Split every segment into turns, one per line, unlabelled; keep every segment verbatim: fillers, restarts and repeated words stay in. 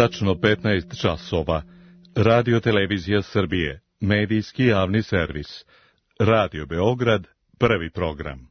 Tačno petnaest časova. Radio Televizija Srbije. Medijski javni servis. Radio Beograd. Prvi program.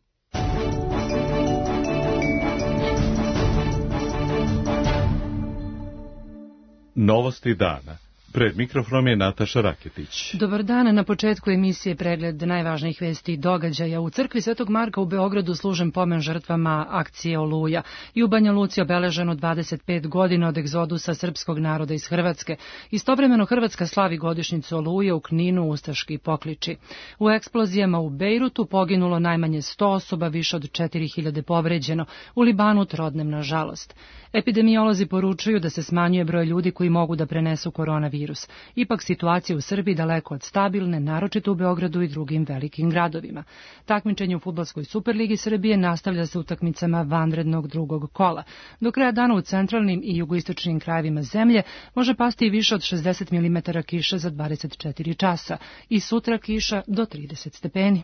Novosti dana. Pred mikrofonom je Nataša Raketić.
Dobar dan, na početku emisije pregled najvažnijih vesti i događaja. U crkvi Svetog Marka u Beogradu služen pomen žrtvama akcije Oluja i u Banja Luci obeleženo dvadeset pet godina od egzodusa srpskog naroda iz Hrvatske. Istovremeno Hrvatska slavi godišnjicu Oluje, u Kninu ustaški pokliči. U eksplozijama u Bejrutu poginulo najmanje sto osoba, više od četiri hiljade povređeno, u Libanu trodnem nažalost. Epidemiolozi poručuju da se smanjuje broj ljudi koji mogu da prenesu koronavirus. Ipak situacija u Srbiji daleko od stabilne, naročito u Beogradu i drugim velikim gradovima. Takmičenje u fudbalskoj Superligi Srbije nastavlja se utakmicama vanrednog drugog kola. Do kraja dana u centralnim i jugoistočnim krajevima zemlje može pasti i više od šezdeset milimetara kiše za dvadeset četiri časa i sutra kiša do trideset stepeni.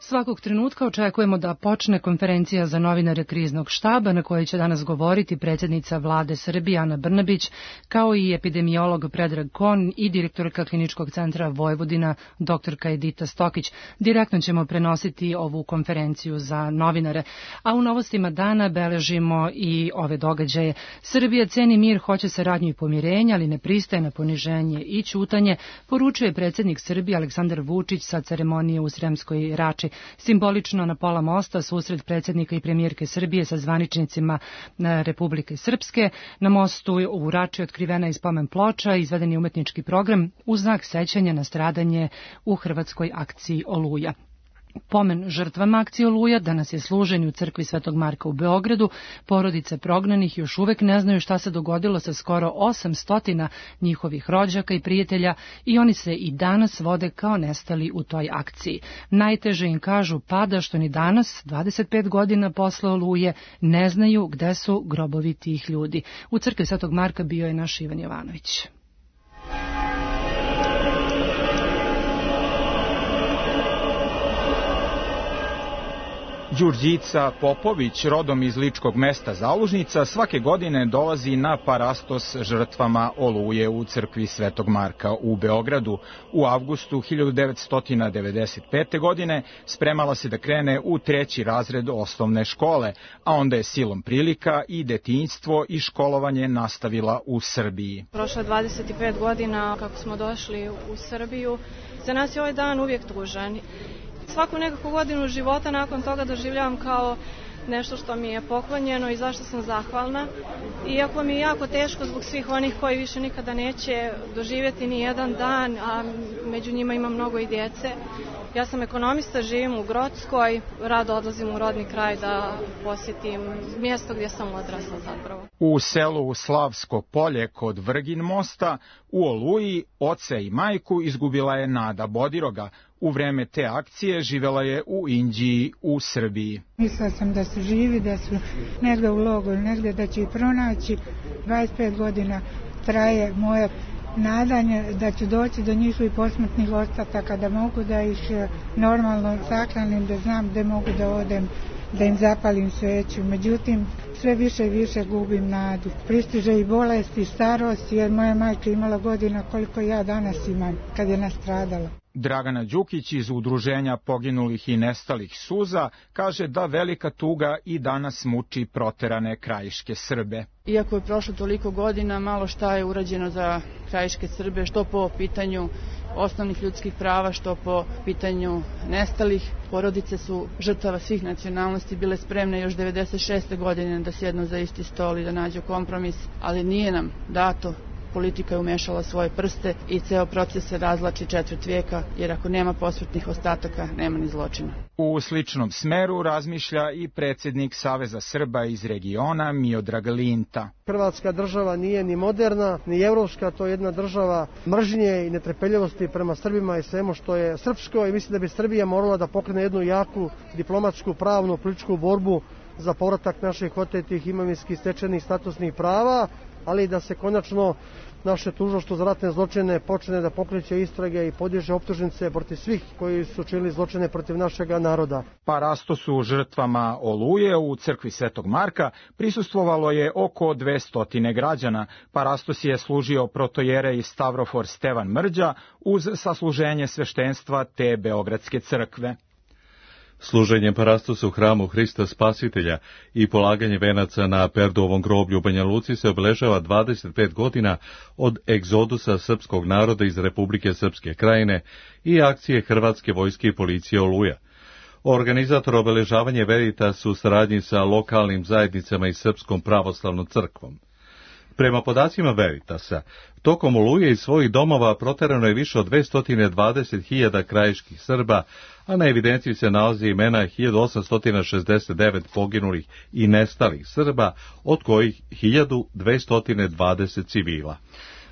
Svakog trenutka očekujemo da počne konferencija za novinare kriznog štaba na kojoj će danas govoriti predsjednica vlade Srbije Ana Brnabić, kao i epidemiolog Predrag Kon i direktorka Kliničkog centra Vojvodina doktorka Edita Stokić. Direktno ćemo prenositi ovu konferenciju za novinare. A u novostima dana beležimo i ove događaje. Srbija ceni mir, hoće saradnju i pomirenje, ali ne pristaje na poniženje i ćutanje, poručuje predsjednik Srbije Aleksandar Vučić sa ceremonije u Sremskoj Rači. Simbolično na pola mosta susret predsjednika i premijerke Srbije sa zvaničnicima Republike Srpske. Na mostu u Rači otkrivena je spomen ploča, izveden je umetnički program u znak sećanja na stradanje u hrvatskoj akciji Oluja. Pomen žrtvama akcije Oluja danas je služen u crkvi Svetog Marka u Beogradu. Porodice prognanih još uvek ne znaju šta se dogodilo sa skoro osamsto njihovih rođaka i prijatelja i oni se i danas vode kao nestali u toj akciji. Najteže im kažu pada što ni danas, dvadeset pet godina posle Oluje, ne znaju gde su grobovi tih ljudi. U crkvi Svetog Marka bio je naš Ivan Jovanović.
Đurđica Popović, rodom iz ličkog mesta Zalužnica, svake godine dolazi na parastos žrtvama Oluje u crkvi Svetog Marka u Beogradu. U avgustu hiljadu devetsto devedeset pete. godine spremala se da krene u treći razred osnovne škole, a onda je silom prilika i detinjstvo i školovanje nastavila u Srbiji.
Prošlo dvadeset pet godina kako smo došli u Srbiju. Za nas je ovaj dan uvijek tužan. Svaku nekakvu godinu života nakon toga doživljavam kao nešto što mi je poklonjeno i zašto sam zahvalna. Iako mi je jako teško zbog svih onih koji više nikada neće doživjeti ni jedan dan, a među njima ima mnogo i djece. Ja sam ekonomista, živim u Grockoj, rado odlazim u rodni kraj da posjetim mjesto gdje sam odrasla zapravo.
U selu Slavsko polje kod Vrgin mosta u Oluji oca i majku izgubila je Nada Bodiroga. U vreme te akcije živela je u Inđiji u Srbiji.
Mislila sam da su živi, da su negdje u logoru, negdje da će ih pronaći. dvadeset pet godina traje moje nadanje da ću doći do njihovih posmrtnih ostataka, da mogu da ih normalno saklanim, da znam gde mogu da odem, da im zapalim sveću. Međutim, sve više i više gubim nadu. Pristiže i bolest i starost, jer moja majka imala godina koliko ja danas imam kad je nastradala.
Dragana Đukić iz Udruženja poginulih i nestalih suza kaže da velika tuga i danas muči proterane krajiške Srbe.
Iako je prošlo toliko godina, malo šta je urađeno za krajiške Srbe, što po pitanju osnovnih ljudskih prava, što po pitanju nestalih. Porodice su žrtava svih nacionalnosti bile spremne još devedeset šeste. godine da sjednu za isti stol i da nađu kompromis, ali nije nam dato. Politika je umešala svoje prste i ceo proces se razvlači četvrt vijeka, jer ako nema posmrtnih ostataka, nema ni zločina.
U sličnom smeru razmišlja i predsjednik Saveza Srba iz regiona Miodrag Linta.
Hrvatska država nije ni moderna, ni evropska, to je jedna država mržnje i netrpeljivosti prema Srbima i svemu što je srpsko, i mislim da bi Srbija morala da pokrene jednu jaku diplomatsku, pravnu, političku borbu za povratak naših otetih imovinskih stečenih statusnih prava ali da se konačno naše tužilaštvo za ratne zločine počne da pokreće istrage i podiže optužnice protiv svih koji su činili zločine protiv našeg naroda.
Parastosu žrtvama Oluje u crkvi Svetog Marka prisustvovalo je oko dvesta građana. Parastos je služio protojerej Stavrofor Stevan Mrđa uz sasluženje sveštenstva te Beogradske crkve.
Služenjem parastosa u hramu Hrista Spasitelja i polaganje venaca na Perdovom groblju u Banja Luci se obeležava dvadeset pet godina od egzodusa srpskog naroda iz Republike Srpske Krajine i akcije Hrvatske vojske i policije Oluja. Organizator obeležavanja Veritas u saradnji sa lokalnim zajednicama i Srpskom pravoslavnom crkvom. Prema podacima Veritasa, tokom Oluje iz svojih domova proterano je više od dvesta dvadeset hiljada krajiških Srba, a na evidenciji se nalazi imena hiljadu osamsto šezdeset devet poginulih i nestalih Srba, od kojih hiljadu dvesta dvadeset civila.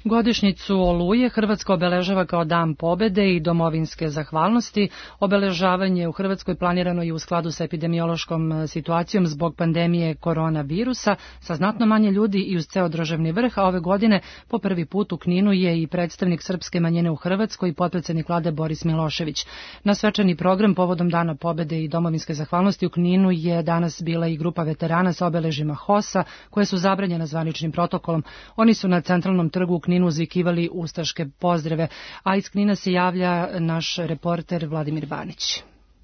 Godišnjicu Oluje Hrvatska obeležava kao Dan pobede i domovinske zahvalnosti. Obeležavanje u Hrvatskoj planirano i u skladu sa epidemiološkom situacijom zbog pandemije koronavirusa, sa znatno manje ljudi i uz ceo državni vrh, a ove godine po prvi put u Kninu je i predstavnik srpske manjine u Hrvatskoj i potpredsednik vlade Boris Milošević. Na svečani program povodom Dana pobede i domovinske zahvalnosti u Kninu je danas bila i grupa veterana sa obeležima H O S-a, koje su zabranjene zvaničnim protokolom. Oni su na centralnom trgu u Kninu uzvikivali ustaške pozdrave, a iz Knina se javlja naš reporter Vladimir Banić.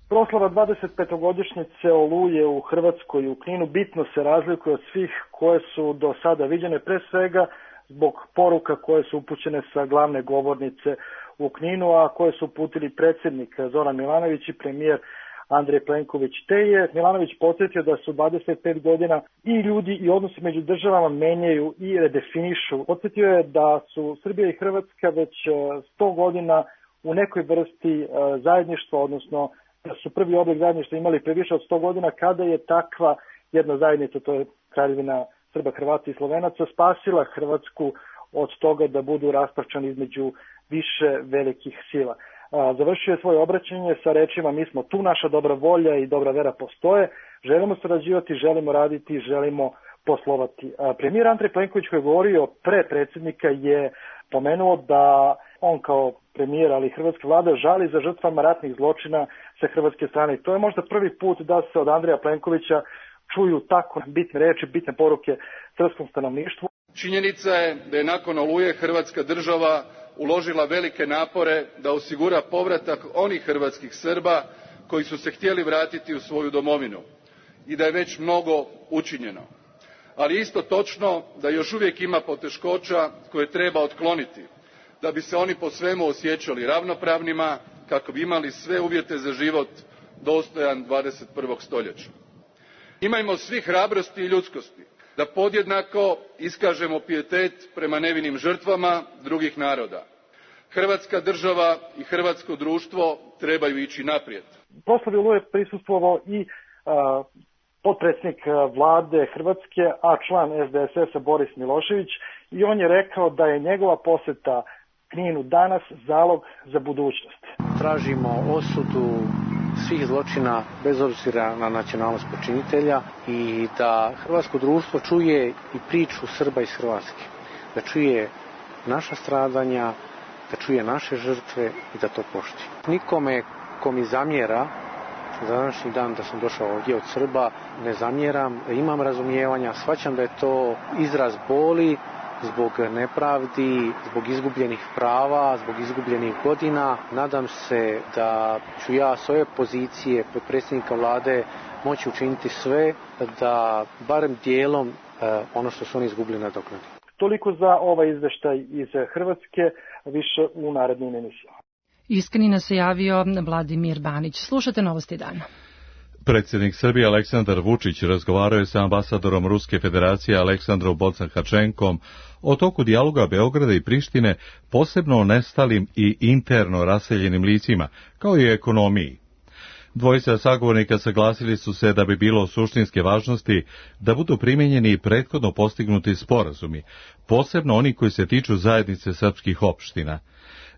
Proslava dvadesetpetogodišnjice Oluje u Hrvatskoj u Kninu bitno se razlikuje od svih koje su do sada viđene, pre svega zbog poruka koje su upućene sa glavne govornice u Kninu, a koje su uputili predsjednik Zoran Milanović i premijer Andrej Plenković. Te je Milanović podsjetio da su dvadeset pet godina i ljudi i odnosi među državama menjaju i redefinišu. Podsjetio je da su Srbija i Hrvatska već sto godina u nekoj vrsti zajedništva, odnosno da su prvi oblik zajedništva imali pre više od sto godina, kada je takva jedna zajednica, to je Kraljevina Srba, Hrvata i Slovenaca, spasila Hrvatsku od toga da budu rasparčani između više velikih sila. Završio je svoje obraćanje sa rečima: mi smo tu, naša dobra volja i dobra vera postoje, želimo sarađivati, želimo raditi, želimo poslovati. Premijer Andrej Plenković, koji je govorio pre predsjednika, je pomenuo da on kao premijer, ali i hrvatska vlada, žali za žrtvama ratnih zločina sa hrvatske strane. To je možda prvi put da se od Andreja Plenkovića čuju tako bitne reči, bitne poruke srpskom stanovništvu.
Činjenica je da je nakon Oluje Hrvatska država uložila velike napore da osigura povratak onih hrvatskih Srba koji su se htjeli vratiti u svoju domovinu i da je već mnogo učinjeno. Ali isto točno da još uvijek ima poteškoća koje treba otkloniti da bi se oni po svemu osjećali ravnopravnima, kako bi imali sve uvjete za život dostojan dvadeset prvog stoljeća. Imajmo svi hrabrosti i ljudskosti da podjednako iskažemo pijetet prema nevinim žrtvama drugih naroda. Hrvatska država i hrvatsko društvo trebaju ići naprijed.
Proslavi Oluje prisustvovao i a, potpredsjednik vlade Hrvatske, a član S D S S-a Boris Milošević, i on je rekao da je njegova posjeta Kninu danas zalog za budućnost.
Tražimo osudu svih zločina bez obzira na nacionalnost počinitelja i da hrvatsko društvo čuje i priču Srba iz Hrvatske, da čuje naša stradanja, da čuje naše žrtve i da to poštuje. Nikome ko mi zamjera za današnji dan da sam došao ovdje od Srba ne zamjeram, imam razumijevanja, shvaćam da je to izraz boli zbog nepravdi, zbog izgubljenih prava, zbog izgubljenih godina. Nadam se da ću ja s ove pozicije potpredsjednika vlade moći učiniti sve da barem dijelom ono što su oni izgubili nadoknadi.
Toliko za ovaj izveštaj iz Hrvatske, više u narednim emisijama.
Iz Knina se javio Vladimir Banić. Slušate Novosti dana.
Predsjednik Srbije Aleksandar Vučić razgovarao je sa ambasadorom Ruske federacije Aleksandrom Bocan-Hačenkom o toku dijaloga Beograda i Prištine, posebno o nestalim i interno raseljenim licima, kao i ekonomiji. Dvojica sagovornika saglasili su se da bi bilo suštinske važnosti da budu primijenjeni prethodno postignuti sporazumi, posebno oni koji se tiču zajednice srpskih opština.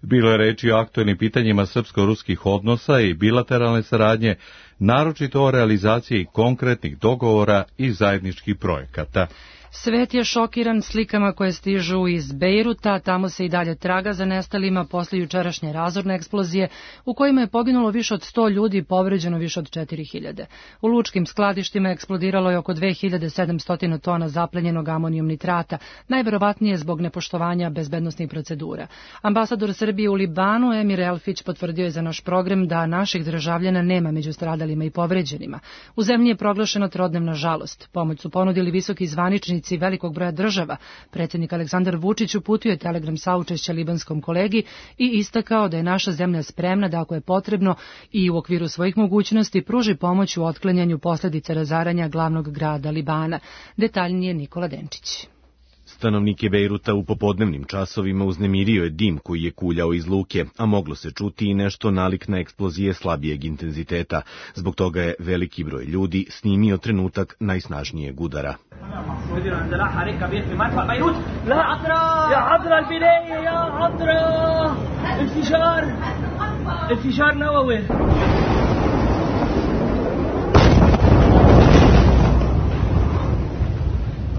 Bilo je reči o aktuelnim pitanjima srpsko-ruskih odnosa i bilateralne saradnje, naročito o realizaciji konkretnih dogovora i zajedničkih projekata.
Svet je šokiran slikama koje stižu iz Bejruta, tamo se i dalje traga za nestalima posle jučerašnje razorne eksplozije u kojima je poginulo više od sto ljudi i povređeno više od četiri hiljade. U lučkim skladištima eksplodiralo je oko dve hiljade sedamsto tona zaplenjenog amonijum nitrata, najverovatnije zbog nepoštovanja bezbednosnih procedura. Ambasador Srbije u Libanu Emir Elfić potvrdio je za naš program da naših državljana nema među stradalima i povređenima. U zemlji je proglašena trodnevna žalost. Pomoć su ponudili visoki zvaničnici velikog broja država. Predsjednik Aleksandar Vučić uputio je telegram saučešća libanskom kolegi i istakao da je naša zemlja spremna da ako je potrebno i u okviru svojih mogućnosti pruži pomoć u otklanjanju posljedica razaranja glavnog grada Libana. Detaljnije Nikola Denčić.
Stanovnike Bejruta u popodnevnim časovima uznemirio je dim koji je kuljao iz luke, a moglo se čuti i nešto nalik na eksplozije slabijeg intenziteta. Zbog toga je veliki broj ljudi snimio trenutak najsnažnijeg udara.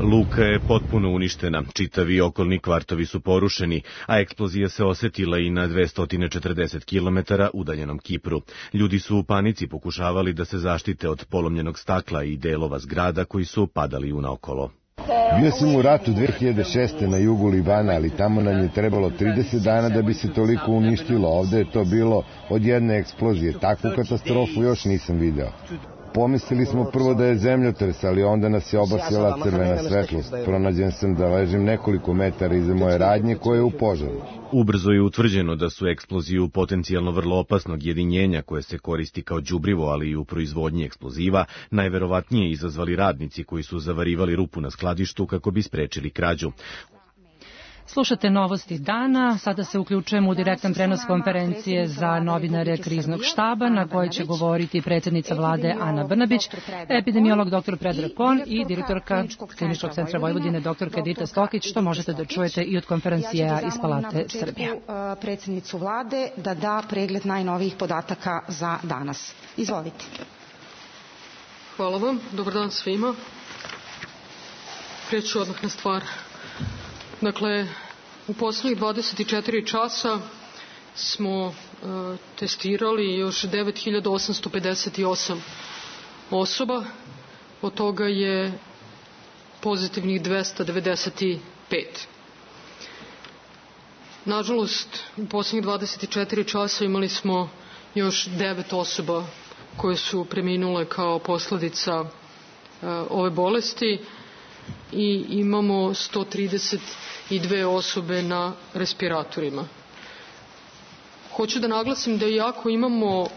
Luka je potpuno uništena, čitavi okolni kvartovi su porušeni, a eksplozija se osetila i na dvesta četrdeset kilometara udaljenom Kipru. Ljudi su u panici pokušavali da se zaštite od polomljenog stakla i delova zgrada koji su padali unaokolo.
Bio sam u ratu dve hiljade šeste na jugu Libana, ali tamo nam je trebalo trideset dana da bi se toliko uništilo. Ovde je to bilo od jedne eksplozije. Takvu katastrofu još nisam video. Pomislili smo prvo da je zemljotres, ali onda nas je obasjala crvena svetlost. Pronađen sam da ležim nekoliko metara iza moje radnje koje je u požaru.
Ubrzo je utvrđeno da su eksploziju potencijalno vrlo opasnog jedinjenja koje se koristi kao đubrivo, ali i u proizvodnji eksploziva, najverovatnije izazvali radnici koji su zavarivali rupu na skladištu kako bi sprečili krađu.
Slušate novosti dana, sada se uključujemo u direktan prenos konferencije za novinare kriznog štaba na kojoj će govoriti predsjednica vlade Ana Brnabić, epidemiolog doktor Predrag Kon i direktorka Kliničkog centra Vojvodine doktorka Edita Stokić, što možete da čujete i od konferencija iz Palate Srbije.
Predsjednicu vlade da da pregled najnovijih podataka za danas. Izvolite.
Hvala vam, dobar dan svima. Preću odmah na stvar. Dakle, u poslednjih dvadeset četiri časa smo e, testirali još devet hiljada osamsto pedeset osam osoba, od toga je pozitivnih dvesta devedeset pet. Nažalost, u poslednjih dvadeset četiri časa imali smo još devet osoba koje su preminule kao posledica e, ove bolesti i imamo sto trideset dve osobe na respiratorima. Hoću da naglasim da iako imamo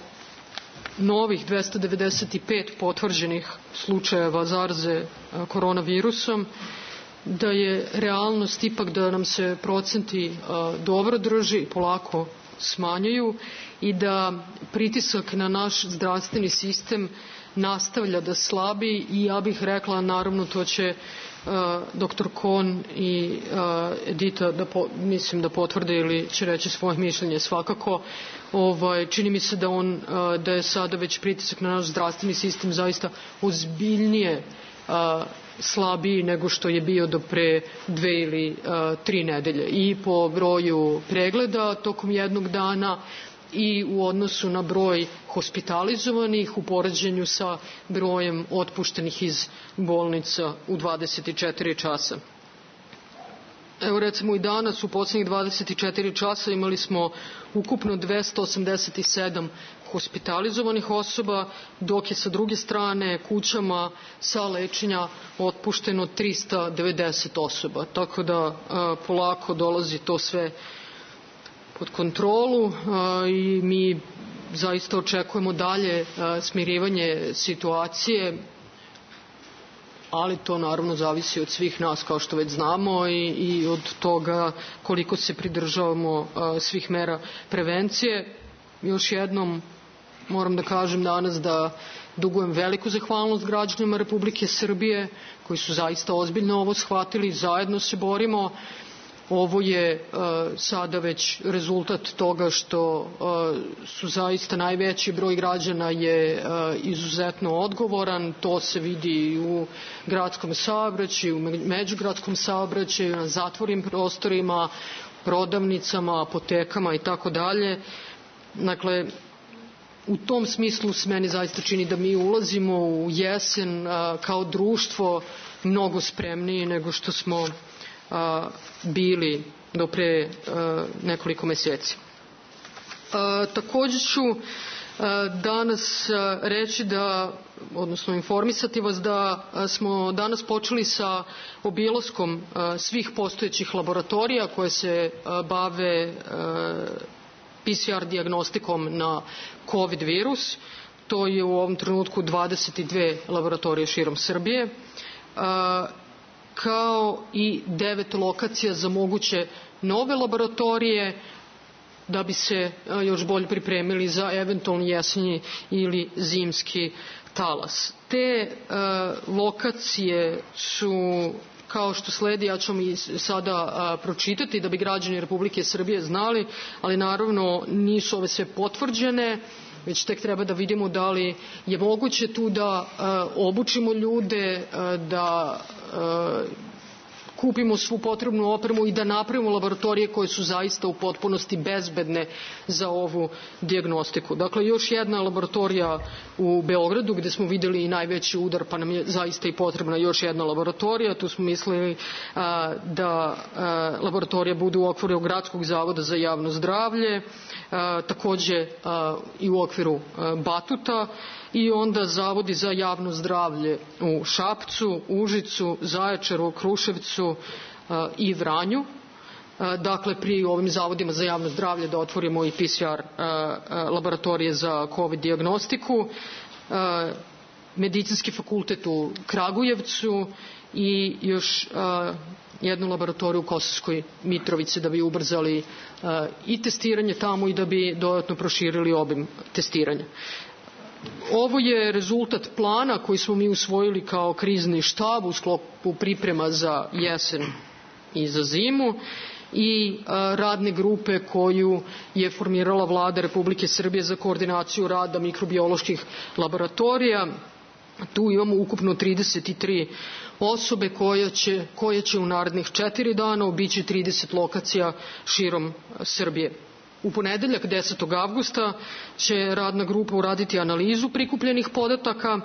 novih dvesta devedeset pet potvrđenih slučajeva zaraze koronavirusom, da je realnost ipak da nam se procenti dobro drži i polako smanjaju i da pritisak na naš zdravstveni sistem nastavlja da slabi i ja bih rekla, naravno to će uh, doktor Kon i uh, Edita da po, mislim da potvrde ili će reći svoje mišljenje svakako. Ovaj, čini mi se da, on, uh, da je sada već pritisak na naš zdravstveni sistem zaista ozbiljnije uh, slabiji nego što je bio do pre dve ili uh, tri nedelje. I po broju pregleda tokom jednog dana i u odnosu na broj hospitalizovanih u poređenju sa brojem otpuštenih iz bolnica u dvadeset četiri časa. Evo recimo i danas u posljednjih dvadeset četiri časa imali smo ukupno dvesta osamdeset sedam hospitalizovanih osoba, dok je sa druge strane kućama sa lečenja otpušteno trista devedeset osoba. Tako da a, polako dolazi to sve pod kontrolu a, i mi zaista očekujemo dalje a, smirivanje situacije, ali to naravno zavisi od svih nas kao što već znamo i, i od toga koliko se pridržavamo a, svih mera prevencije. Još jednom moram da kažem danas da dugujem veliku zahvalnost građanima Republike Srbije koji su zaista ozbiljno ovo shvatili, zajedno se borimo Ovo je sada već rezultat toga što su zaista najveći broj građana je izuzetno odgovoran. To se vidi u gradskom saobraćaju, u međugradskom saobraćaju, na zatvorenim prostorima, prodavnicama, apotekama i tako dalje. Dakle, u tom smislu se meni zaista čini da mi ulazimo u jesen kao društvo mnogo spremniji nego što smo bili do pre nekoliko meseci. Takođe ću danas reći da, odnosno informisati vas da smo danas počeli sa obilaskom svih postojećih laboratorija koje se bave P C R dijagnostikom na COVID virus. To je u ovom trenutku dvadeset dve laboratorije širom Srbije, kao i devet lokacija za moguće nove laboratorije da bi se još bolje pripremili za eventualni jesenji ili zimski talas. Te lokacije su kao što sledi, ja ću vam i sada pročitati da bi građani Republike Srbije znali, ali naravno nisu ove sve potvrđene, već tek treba da vidimo da li je moguće tu da obučimo ljude, da kupimo svu potrebnu opremu i da napravimo laboratorije koje su zaista u potpunosti bezbedne za ovu dijagnostiku. Dakle, još jedna laboratorija u Beogradu gde smo videli i najveći udar, pa nam je zaista i potrebna još jedna laboratorija. Tu smo mislili a, da a, laboratorija bude u okviru Gradskog zavoda za javno zdravlje, a, takođe a, i u okviru a, Batuta, i onda zavodi za javno zdravlje u Šapcu, Užicu, Zaječaru, Kruševcu i Vranju. Dakle, pri ovim zavodima za javno zdravlje da otvorimo i P C R laboratorije za COVID dijagnostiku, Medicinski fakultet u Kragujevcu i još jednu laboratoriju u Kosovskoj Mitrovici da bi ubrzali i testiranje tamo i da bi dodatno proširili obim testiranja. Ovo je rezultat plana koji smo mi usvojili kao krizni štab u sklopu priprema za jesen i za zimu i radne grupe koju je formirala Vlada Republike Srbije za koordinaciju rada mikrobioloških laboratorija. Tu imamo ukupno trideset tri osobe koje će, koje će u narednih četiri dana obići trideset lokacija širom Srbije. U ponedeljak desetog avgusta će radna grupa uraditi analizu prikupljenih podataka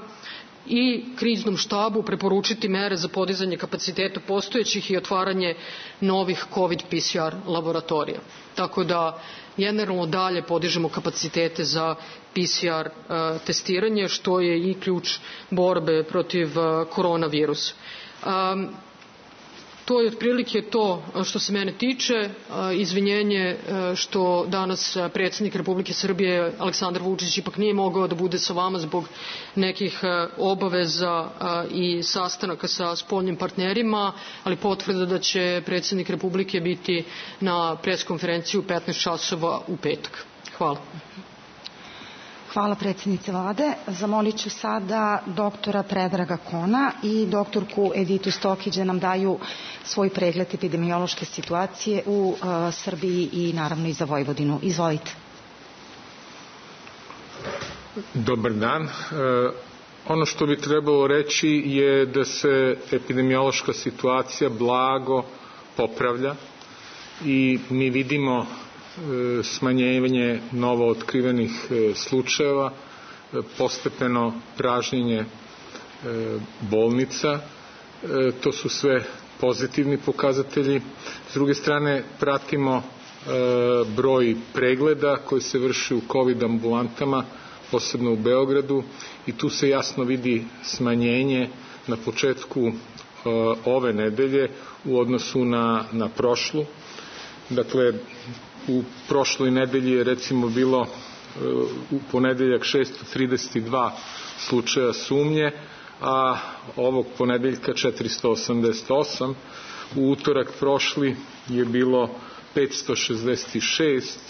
i kriznom štabu preporučiti mere za podizanje kapaciteta postojećih i otvaranje novih COVID P C R laboratorija. Tako da generalno dalje podižemo kapacitete za P C R uh, testiranje, što je i ključ borbe protiv uh, koronavirusa. Um, To je otprilike to što se mene tiče. Izvinjenje što danas predsjednik Republike Srbije Aleksandar Vučić ipak nije mogao da bude sa vama zbog nekih obaveza i sastanaka sa spoljnim partnerima, ali potvrda da će predsjednik Republike biti na preskonferenciji u petnaest časova u petak. Hvala.
Hvala predsjednice vlade. Zamolit ću sada doktora Predraga Kona i doktorku Editu Stokić da nam daju svoj pregled epidemiološke situacije u uh, Srbiji i naravno i za Vojvodinu. Izvolite.
Dobar dan. E, ono što bi trebalo reći je da se epidemiološka situacija blago popravlja i mi vidimo smanjenje novo otkrivenih slučajeva, postepeno pražnjenje bolnica. To su sve pozitivni pokazatelji. S druge strane, pratimo broj pregleda koji se vrši u COVID ambulantama, posebno u Beogradu, i tu se jasno vidi smanjenje na početku ove nedelje u odnosu na, na prošlu. Dakle, u prošloj nedelji je recimo bilo u ponedeljak šesto trideset dva slučaja sumnje, a ovog ponedeljka četiristo osamdeset osam. U utorak prošli je bilo petsto šezdeset šest,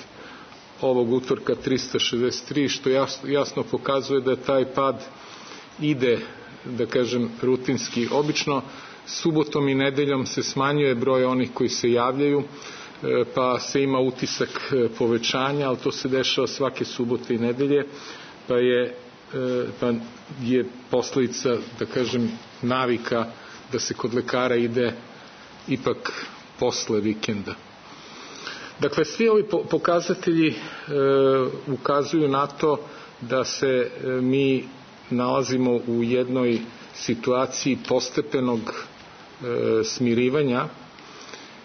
ovog utorka tristo šezdeset tri, što jasno, jasno pokazuje da taj pad ide, da kažem, rutinski. Obično Subotom i nedeljom se smanjuje broj onih koji se javljaju, pa se ima utisak povećanja, ali to se dešava svake subote i nedelje, pa je, pa je posledica, da kažem, navika da se kod lekara ide ipak posle vikenda. Dakle, svi ovi pokazatelji e, ukazuju na to da se e, mi nalazimo u jednoj situaciji postepenog e, smirivanja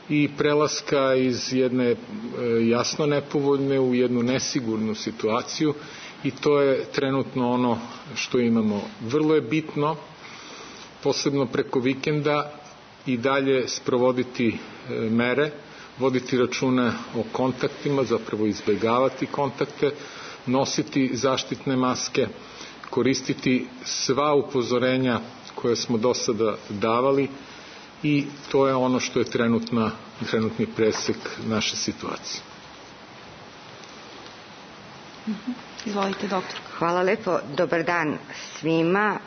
i prelaska iz jedne e, jasno nepovoljne u jednu nesigurnu situaciju, i to je trenutno ono što imamo. Vrlo je bitno, posebno preko vikenda, i dalje sprovoditi e, mere, voditi računa o kontaktima, zapravo izbjegavati kontakte, nositi zaštitne maske, koristiti sva upozorenja koje smo do sada davali, i to je ono što je trenutna, trenutni presek naše situacije.
Izvolite, doktor. Hvala lepo. Dobar dan svima.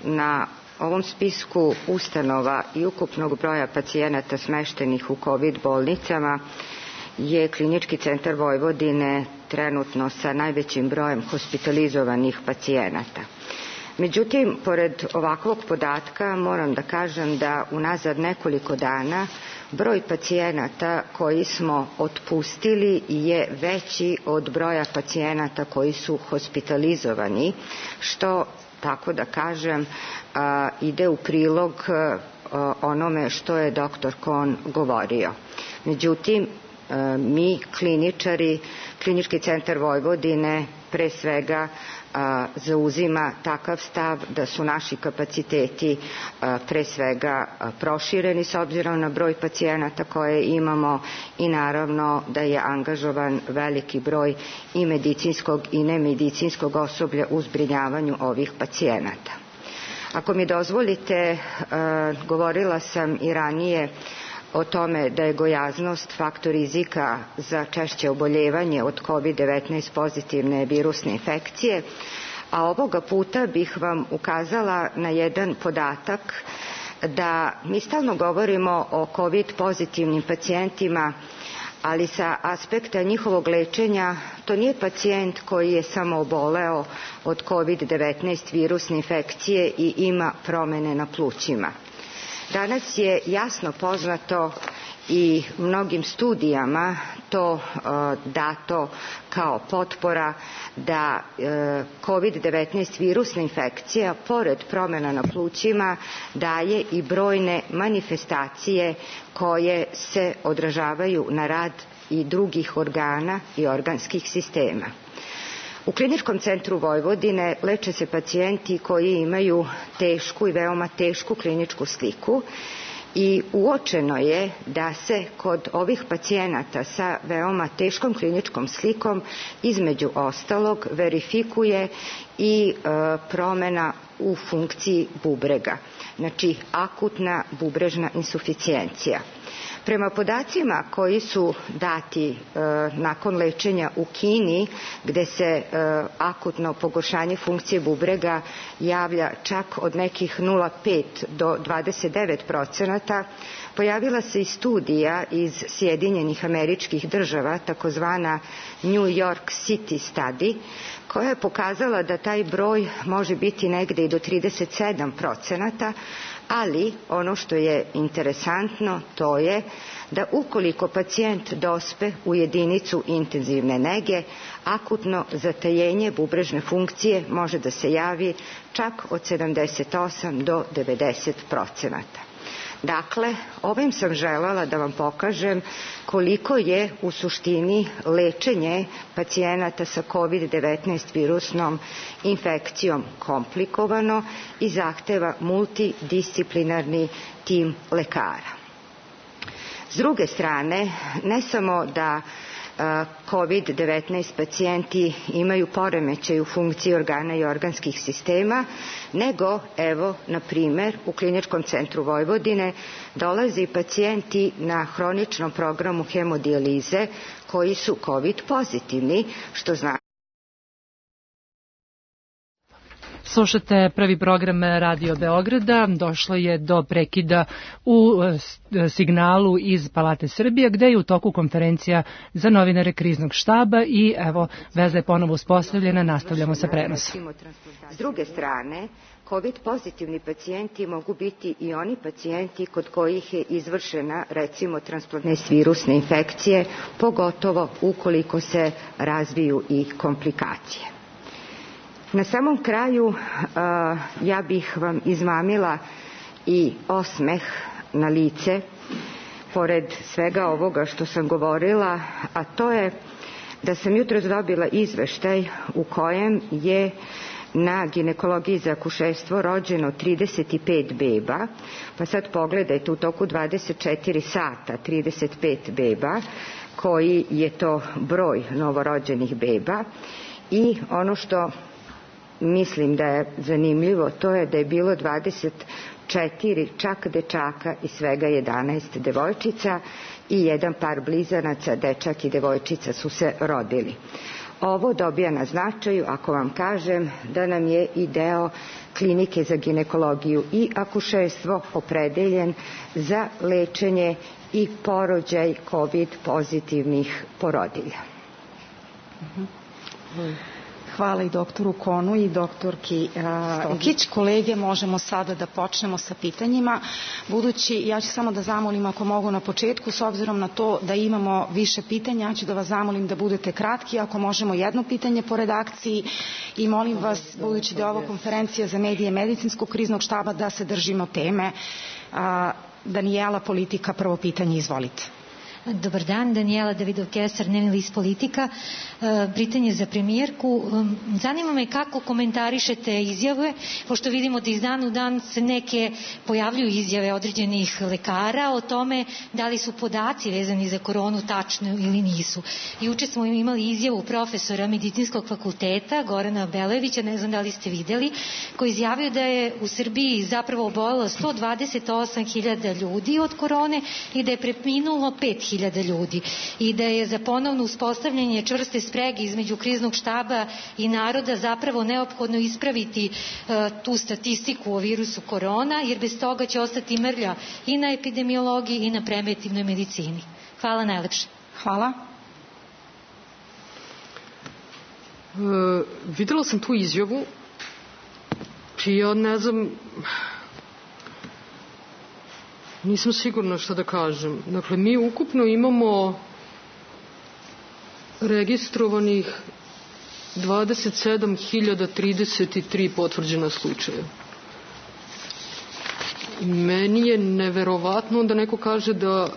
Na ovom spisku ustanova i ukupnog broja pacijenata smeštenih u COVID bolnicama je Klinički centar Vojvodine trenutno sa najvećim brojem hospitalizovanih pacijenata. Međutim, pored ovakvog podatka moram da kažem da unazad nekoliko dana broj pacijenata koji smo otpustili je veći od broja pacijenata koji su hospitalizovani, što, tako da kažem, ide u prilog onome što je doktor Kon govorio. Međutim, mi kliničari, Klinički centar Vojvodine pre svega zauzima takav stav da su naši kapaciteti pre svega prošireni s obzirom na broj pacijenata koje imamo, i naravno da je angažovan veliki broj i medicinskog i nemedicinskog osoblja u zbrinjavanju ovih pacijenata. Ako mi dozvolite, govorila sam i ranije o tome da je gojaznost faktor rizika za češće oboljevanje od COVID devetnaest pozitivne virusne infekcije, a ovoga puta bih vam ukazala na jedan podatak da mi stalno govorimo o COVID pozitivnim pacijentima, ali sa aspekta njihovog lečenja to nije pacijent koji je samo oboleo od COVID devetnaest virusne infekcije i ima promene na plućima. Danas je jasno poznato i mnogim studijama to uh, dato kao potpora da uh, COVID devetnaest virusna infekcija pored promjena na plućima daje i brojne manifestacije koje se odražavaju na rad i drugih organa i organskih sistema. U Kliničkom centru Vojvodine leče se pacijenti koji imaju tešku i veoma tešku kliničku sliku, i uočeno je da se kod ovih pacijenata sa veoma teškom kliničkom slikom između ostalog verifikuje i e, promjena u funkciji bubrega, znači akutna bubrežna insuficijencija. Prema podacima koji su dati e, nakon lečenja u Kini, gde se e, akutno pogoršanje funkcije bubrega javlja čak od nekih nula zarez pet do dvadeset devet procenata, pojavila se i studija iz Sjedinjenih Američkih Država, takozvana New York City Study, koja je pokazala da taj broj može biti negde i do trideset sedam procenata, ali ono što je interesantno to je da ukoliko pacijent dospe u jedinicu intenzivne nege, akutno zatajenje bubrežne funkcije može da se javi čak od sedamdeset osam do devedeset procenata. Dakle, ovim sam želela da vam pokažem koliko je u suštini lečenje pacijenata sa COVID devetnaest virusnom infekcijom komplikovano i zahteva multidisciplinarni tim lekara. S druge strane, ne samo da COVID devetnaest pacijenti imaju poremećaj u funkciji organa i organskih sistema, nego, evo, na primer, u Kliničkom centru Vojvodine dolaze pacijenti na hroničnom programu hemodijalize koji su COVID pozitivni, što znači
Slušate prvi program Radio Beograda. Došlo je do prekida u signalu iz Palate Srbije, gde je u toku konferencija za novinare kriznog štaba i evo, veza je ponovo uspostavljena, nastavljamo sa prenosom.
S druge strane, COVID pozitivni pacijenti mogu biti i oni pacijenti kod kojih je izvršena, recimo, transplantne virusne infekcije, pogotovo ukoliko se razviju i komplikacije. Na samom kraju ja bih vam izmamila i osmeh na lice, pored svega ovoga što sam govorila, a to je da sam jutros dobila izveštaj u kojem je na ginekologiji za akušerstvo rođeno trideset pet beba, pa sad pogledajte u toku dvadeset četiri sata trideset pet beba, koji je to broj novorođenih beba. I ono što mislim da je zanimljivo, to je da je bilo dvadeset četiri čak dečaka i svega jedanaest devojčica i jedan par blizanaca, dečak i devojčica su se rodili. Ovo dobija na značaju ako vam kažem da nam je i deo klinike za ginekologiju i akušerstvo opredeljen za lečenje i porođaj COVID pozitivnih porodilja.
Hvala i doktoru Konu i doktorki Stokić. Kolege, možemo sada da počnemo sa pitanjima. Budući, ja ću samo da zamolim ako mogu na početku, s obzirom na to da imamo više pitanja, ja ću da vas zamolim da budete kratki, ako možemo jedno pitanje po redakciji i molim vas, budući da je ovo konferencija za medije medicinskog kriznog štaba, da se držimo teme. Danijela, Politika, prvo pitanje, izvolite.
Dobar dan, Danijela Davidov-Kesar, dnevni list Politika. Pitanje za premijerku. Zanima me kako komentarišete izjave, pošto vidimo da iz dana u dan se neke pojavljuju izjave određenih lekara o tome da li su podaci vezani za koronu tačni ili nisu. Juče smo imali izjavu profesora medicinskog fakulteta Gorana Belevića, ne znam da li ste videli, koji izjavio da je u Srbiji zapravo obolelo sto dvadeset osam hiljada ljudi od korone i da je preminulo pet hiljada ljudi i da je za ponovno uspostavljanje čvrste sprege između kriznog štaba i naroda zapravo neophodno ispraviti uh, tu statistiku o virusu korona, jer bez toga će ostati mrlja i na epidemiologiji i na preventivnoj medicini. Hvala najlepše.
Hvala.
Uh, videla sam tu izjavu, čija ne znam... Nisam sigurna šta da kažem. Dakle, mi ukupno imamo registrovanih dvadeset sedam hiljada trideset tri potvrđena slučaja. Meni je neverovatno da neko kaže da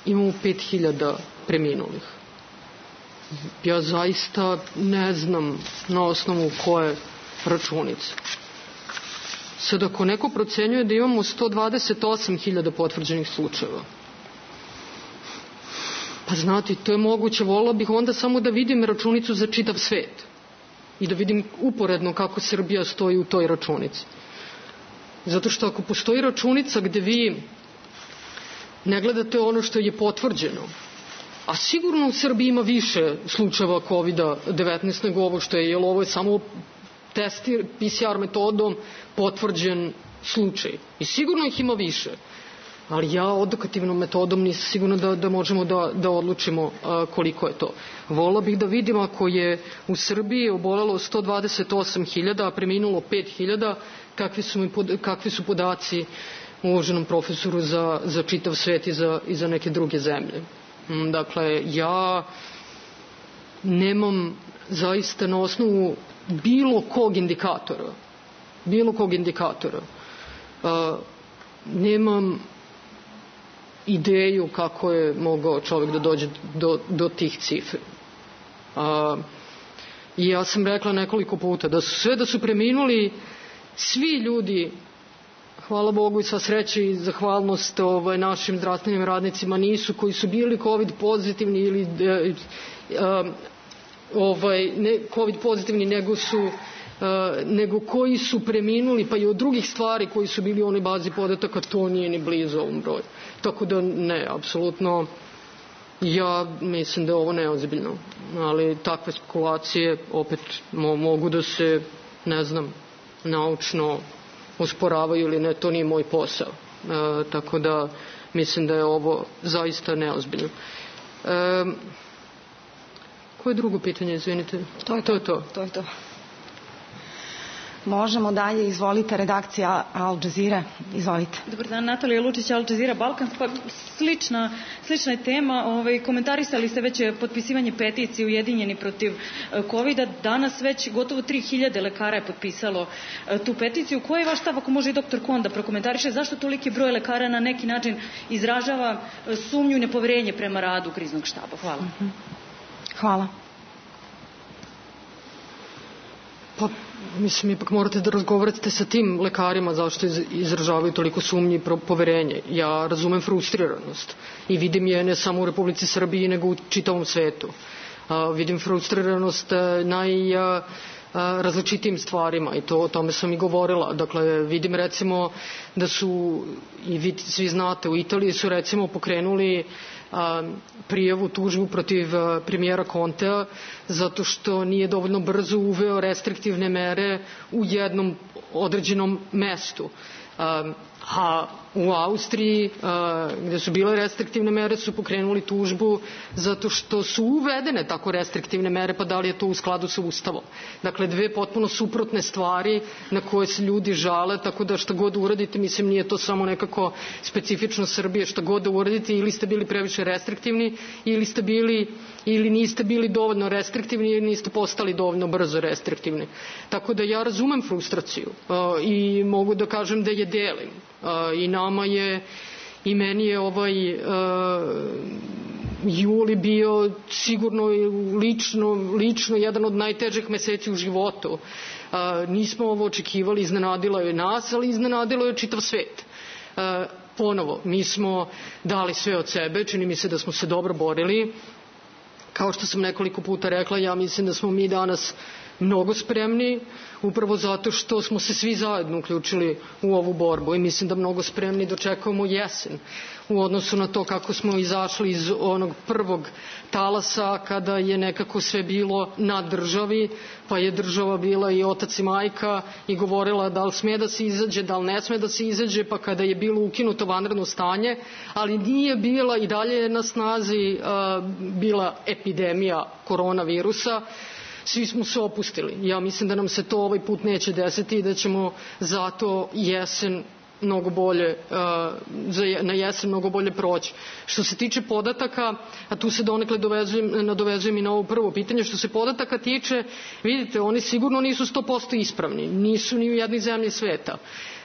imamo pet hiljada preminulih. Ja zaista ne znam na osnovu koje računice. Sad, ako neko procenjuje da imamo sto dvadeset osam hiljada potvrđenih slučajeva, pa znate, to je moguće, volila bih onda samo da vidim računicu za čitav svet i da vidim uporedno kako Srbija stoji u toj računici. Zato što ako postoji računica gde vi ne gledate ono što je potvrđeno, a sigurno u Srbiji ima više slučajeva kovid devetnaest nego ovo što je, jer ovo je samo testir P C R metodom potvrđen slučaj. I sigurno ih ima više. Ali ja odokativnom metodom nisam sigurna da, da možemo da, da odlučimo a, koliko je to. Volila bih da vidim ako je u Srbiji obolelo sto dvadeset osam hiljada, a preminulo pet hiljada, kakvi su, pod, kakvi su podaci uvaženom profesoru za, za čitav svet i za, i za neke druge zemlje. Dakle, ja nemam zaista na osnovu bilo kog indikatora, bilo kog indikatora, a, nemam ideju kako je mogao čovjek da dođe do, do tih cifri. A, I ja sam rekla nekoliko puta da su sve da su preminuli svi ljudi, hvala Bogu i sva sreća i zahvalnost ovaj, našim zdravstvenim radnicima, nisu koji su bili COVID pozitivni ili e, e, ovaj, ne COVID pozitivni, nego su Uh, nego koji su preminuli, pa i od drugih stvari koji su bili u onoj bazi podataka, to nije ni blizu ovom broju. Tako da ne, apsolutno ja mislim da je ovo neozbiljno, ali takve spekulacije opet mo, mogu da se, ne znam, naučno osporavaju ili ne, to nije moj posao. E, tako da mislim da je ovo zaista neozbiljno. E, koje drugo pitanje, izvinite?
To je to. To je to. to, je to. Možemo dalje, izvolite, redakcija Al Jazeera, izvolite.
Dobar dan, Natalija Lučić, Al Jazeera Balkan. Pa slična, slična je tema. Ovaj, komentarisali ste već potpisivanje peticije Ujedinjeni protiv kovida. Danas već gotovo tri hiljade lekara je potpisalo tu peticiju. Koji je vaš stav, ako može i doktor Kon da prokomentariše, zašto toliki broj lekara na neki način izražava sumnju i nepoverenje prema radu kriznog štaba? Hvala.
Mm-hmm. Hvala.
Pa, mislim, ipak morate da razgovarate sa tim lekarima zašto izražavaju toliko sumnji i poverenje. Ja razumem frustriranost i vidim je ne samo u Republici Srbiji, nego u čitavom svetu. A, vidim frustriranost naj... A, različitim stvarima i to o tome sam i govorila. Dakle, vidim recimo da su, i vi svi znate, u Italiji su recimo pokrenuli a, prijavu, tužbu protiv a, premijera Contea zato što nije dovoljno brzo uveo restriktivne mere u jednom određenom mestu. A, a u Austriji, a, gde su bile restriktivne mere, su pokrenuli tužbu zato što su uvedene tako restriktivne mere, pa da li je to u skladu sa Ustavom. Dakle, dve potpuno suprotne stvari na koje se ljudi žale, tako da šta god uradite, mislim, nije to samo nekako specifično Srbije, šta god da uradite, ili ste bili previše restriktivni, ili ste bili ili niste bili dovoljno restriktivni ili niste postali dovoljno brzo restriktivni. Tako da ja razumem frustraciju uh, i mogu da kažem da je delim. Uh, I nama je, i meni je ovaj uh, juli bio sigurno lično, lično jedan od najtežih meseci u životu. Uh, nismo ovo očekivali, iznenadilo je nas, ali iznenadilo je čitav svet. Uh, ponovo, mi smo dali sve od sebe, čini mi se da smo se dobro borili. Kao što sam nekoliko puta rekla, ja mislim da smo mi danas mnogo spremni, upravo zato što smo se svi zajedno uključili u ovu borbu i mislim da mnogo spremni dočekujemo jesen u odnosu na to kako smo izašli iz onog prvog talasa kada je nekako sve bilo na državi, pa je država bila i otac i majka i govorila da li sme da se izađe, da li ne sme da se izađe, pa kada je bilo ukinuto vanredno stanje, ali nije bila i dalje je na snazi uh, bila epidemija koronavirusa. Svi smo se opustili. Ja mislim da nam se to ovaj put neće desiti i da ćemo zato jesen mnogo bolje, na jesen mnogo bolje proći. Što se tiče podataka, a tu se donekle dovezujem, nadovezujem i na ovo prvo pitanje, što se podataka tiče, vidite, oni sigurno nisu sto posto ispravni, nisu ni u jednoj zemlji sveta.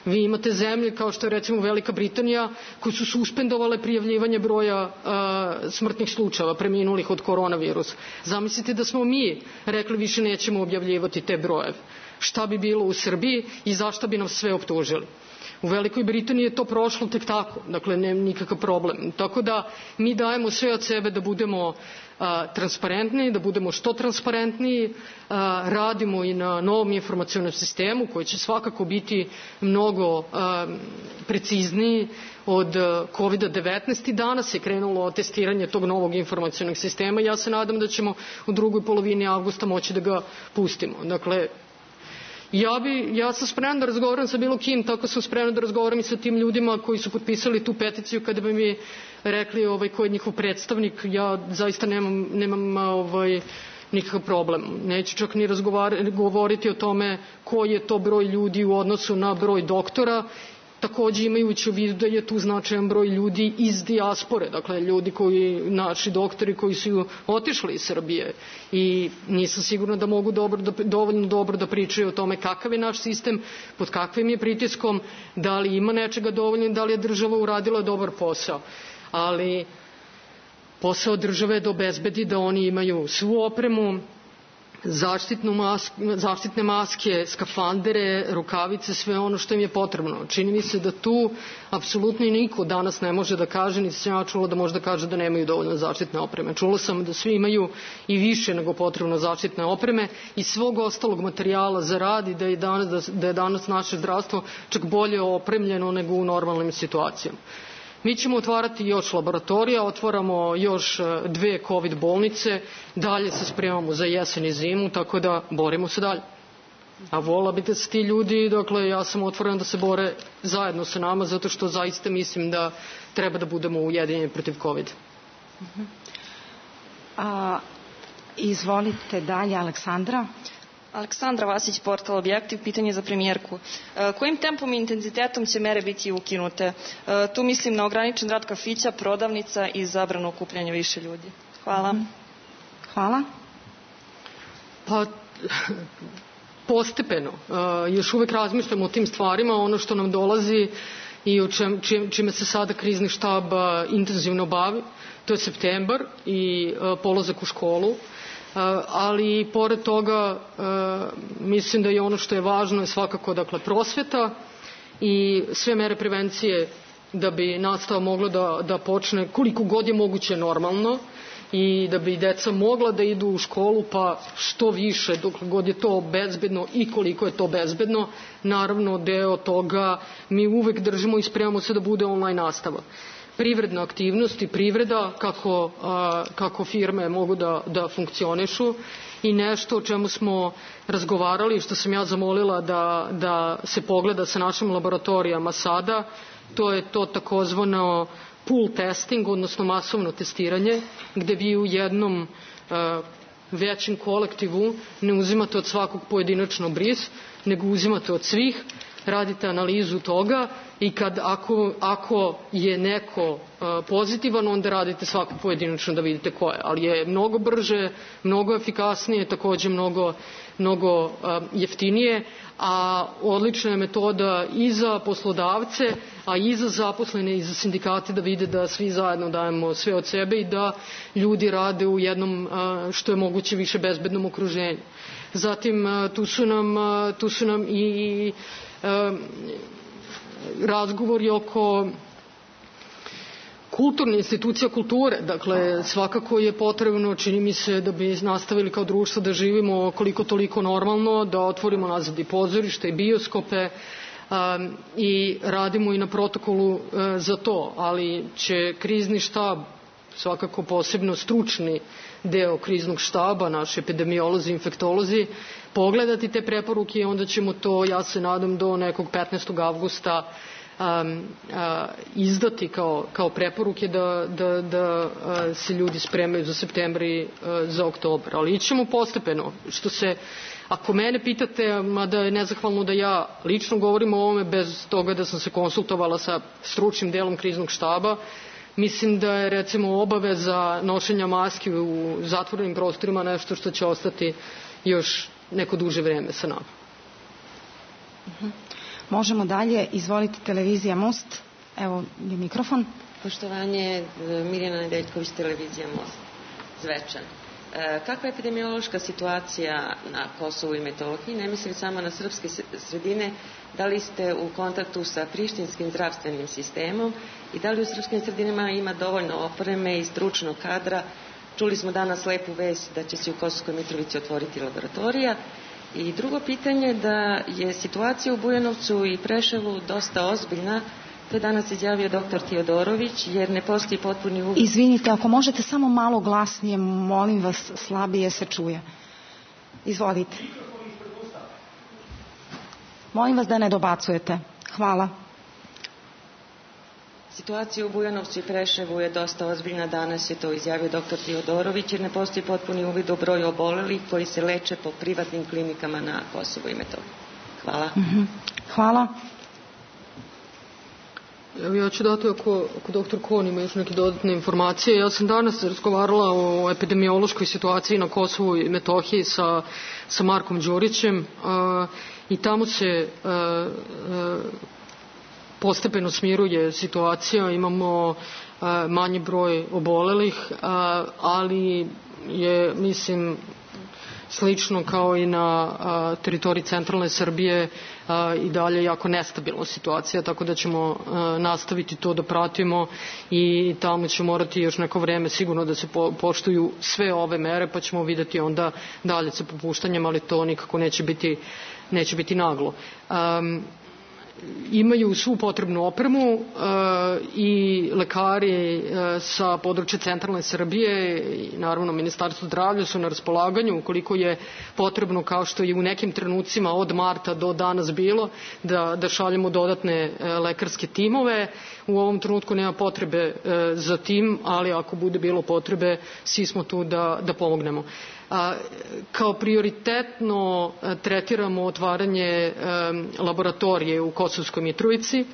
Vi imate zemlje kao što je recimo Velika Britanija koje su suspendovale prijavljivanje broja uh, smrtnih slučajeva preminulih od koronavirusa. Zamislite da smo mi rekli više nećemo objavljivati te brojeve. Šta bi bilo u Srbiji i zašto bi nam sve optužili? U Velikoj Britaniji je to prošlo tek tako, dakle nema nikakav problem. Tako da mi dajemo sve od sebe da budemo a, transparentni, da budemo što transparentniji, a, radimo i na novom informacionom sistemu koji će svakako biti mnogo a, precizniji od kovid devetnaest i danas je krenulo testiranje tog novog informacionog sistema i ja se nadam da ćemo u drugoj polovini avgusta moći da ga pustimo. Dakle, Ja, bi, ja sam spremna da razgovaram sa bilo kim, tako sam spremna da razgovaram i sa tim ljudima koji su potpisali tu peticiju kada bi mi rekli ovaj, ko je njihov predstavnik. Ja zaista nemam, nemam ovaj, nikakav problem. Neću čak ni govoriti o tome koji je to broj ljudi u odnosu na broj doktora, takođe imajući u vidu da je tu značajan broj ljudi iz dijaspore, dakle ljudi koji, naši doktori koji su otišli iz Srbije i nisam sigurna da mogu dobro, da, dovoljno dobro da pričaju o tome kakav je naš sistem, pod kakvim je pritiskom, da li ima nečega dovoljno, da li je država uradila dobar posao. Ali posao države je da obezbedi da oni imaju svu opremu, zaštitnu mask, zaštitne maske, skafandere, rukavice, sve ono što im je potrebno. Čini mi se da tu apsolutno i niko danas ne može da kaže, niti sam ja čula da može da kaže da nemaju dovoljno zaštitne opreme. Čula sam da svi imaju i više nego potrebno zaštitne opreme i svog ostalog materijala za rad i da je danas, da, da je danas naše zdravstvo čak bolje opremljeno nego u normalnim situacijama. Mi ćemo otvarati još laboratorija, otvaramo još dve covid bolnice, dalje se spremamo za jesen i zimu, tako da borimo se dalje. A vola bi da se ti ljudi, dakle, ja sam otvorena da se bore zajedno sa nama, zato što zaista mislim da treba da budemo ujedinjeni protiv COVID.
Uh-huh. A, izvolite dalje, Aleksandra.
Aleksandra Vasić, portal Objektiv, pitanje za premijerku. E, kojim tempom i intenzitetom će mere biti ukinute? E, tu mislim na ograničen rad kafića, prodavnica i zabranu okupljanja više ljudi. Hvala. Uh-huh.
Hvala.
Pa... postepeno. Još uvek razmišljamo o tim stvarima, ono što nam dolazi i o čem, čime se sada krizni štab intenzivno bavi. To je septembar i polazak u školu, ali pored toga mislim da je ono što je važno je svakako, dakle, prosveta i sve mere prevencije da bi nastava mogla da, da počne koliko god je moguće normalno i da bi deca mogla da idu u školu, pa što više, dok god je to bezbedno i koliko je to bezbedno. Naravno, deo toga mi uvek držimo i spremamo se da bude online nastava. Privredna aktivnost i privreda, kako, a, kako firme mogu da, da funkcionišu, i nešto o čemu smo razgovarali, što sam ja zamolila da, da se pogleda sa našim laboratorijama sada, to je to takozvano pool testing, odnosno masovno testiranje, gde vi u jednom uh, većem kolektivu ne uzimate od svakog pojedinačno bris, nego uzimate od svih, radite analizu toga i kad ako, ako je neko uh, pozitivan, onda radite svako pojedinačno da vidite ko je. Ali je mnogo brže, mnogo efikasnije, takođe mnogo, mnogo uh, jeftinije, a odlična je metoda i za poslodavce, a i za zaposlene i za sindikate da vide da svi zajedno dajemo sve od sebe i da ljudi rade u jednom uh, što je moguće više bezbednom okruženju. Zatim uh, tu su nam, uh, tu su nam i razgovori oko kulturne institucija kulture. Dakle, svakako je potrebno, čini mi se, da bi nastavili kao društvo da živimo koliko toliko normalno, da otvorimo nazad i pozorište i bioskope um, i radimo i na protokolu uh, za to, ali će krizni štab, svakako posebno stručni deo kriznog štaba, naši epidemiolozi, infektolozi, pogledati te preporuke i onda ćemo to, ja se nadam, do nekog petnaestog avgusta um, uh, izdati kao, kao preporuke da, da, da uh, se ljudi spremaju za septembar i uh, za oktobar. Ali ićemo postepeno. Što se, ako mene pitate, mada je nezahvalno da ja lično govorim o ovome bez toga da sam se konsultovala sa stručnim delom kriznog štaba, mislim da je, recimo, obaveza nošenja maski u zatvorenim prostorima nešto što će ostati još neko duže vreme sa nama.
Uh-huh. Možemo dalje. Izvolite, televizija Most. Evo je mikrofon.
Poštovanje, Mirjana Nedeljković, televizija Most, Zvečan. E, kakva je epidemiološka situacija na Kosovu i Metohiji? Ne mislim samo na srpske sredine. Da li ste u kontaktu sa prištinskim zdravstvenim sistemom i da li u srpskim sredinama ima dovoljno opreme i stručnog kadra? Čuli smo danas lepu vest da će se u Kosovskoj Mitrovici otvoriti laboratorija. I drugo pitanje, da je situacija u Bujanovcu i Preševu dosta ozbiljna. To je danas izjavio doktor Tiodorović, jer ne postoji potpuni uvid.
Izvinite, ako možete samo malo glasnije, molim vas, slabije se čuje. Izvolite. Molim vas da ne dobacujete. Hvala.
Situacija u Bujanovcu i Preševu je dosta ozbiljna. Danas je to izjavio doktor Tiodorović, jer ne postoji potpuni uvid o broju obolelih koji se leče po privatnim klinikama na Kosovu i Metohiji. Hvala.
Uh-huh. Hvala.
Evo, ja ću dati, ako, ako doktor Kon ima još neke dodatne informacije. Ja sam danas razgovarala o epidemiološkoj situaciji na Kosovu i Metohiji sa, sa Markom Đurićem uh, i tamo se uh, uh, postepeno smiruje situacija, imamo uh, manji broj obolelih, uh, ali je, mislim, slično kao i na a, teritoriji centralne Srbije a, i dalje jako nestabilna situacija, tako da ćemo a, nastaviti to da pratimo i tamo će morati još neko vreme sigurno da se po, poštuju sve ove mere, pa ćemo videti onda dalje sa popuštanjem, ali to nikako neće biti, neće biti naglo. Um, imaju svu potrebnu opremu i lekari sa područja centralne Srbije i naravno Ministarstvo zdravlja su na raspolaganju ukoliko je potrebno, kao što je u nekim trenucima od marta do danas bilo, da, da šaljemo dodatne lekarske timove. U ovom trenutku nema potrebe za tim, ali ako bude bilo potrebe, svi smo tu da, da pomognemo. Kao prioritetno tretiramo otvaranje laboratorije u Kosovskoj Mitrovici,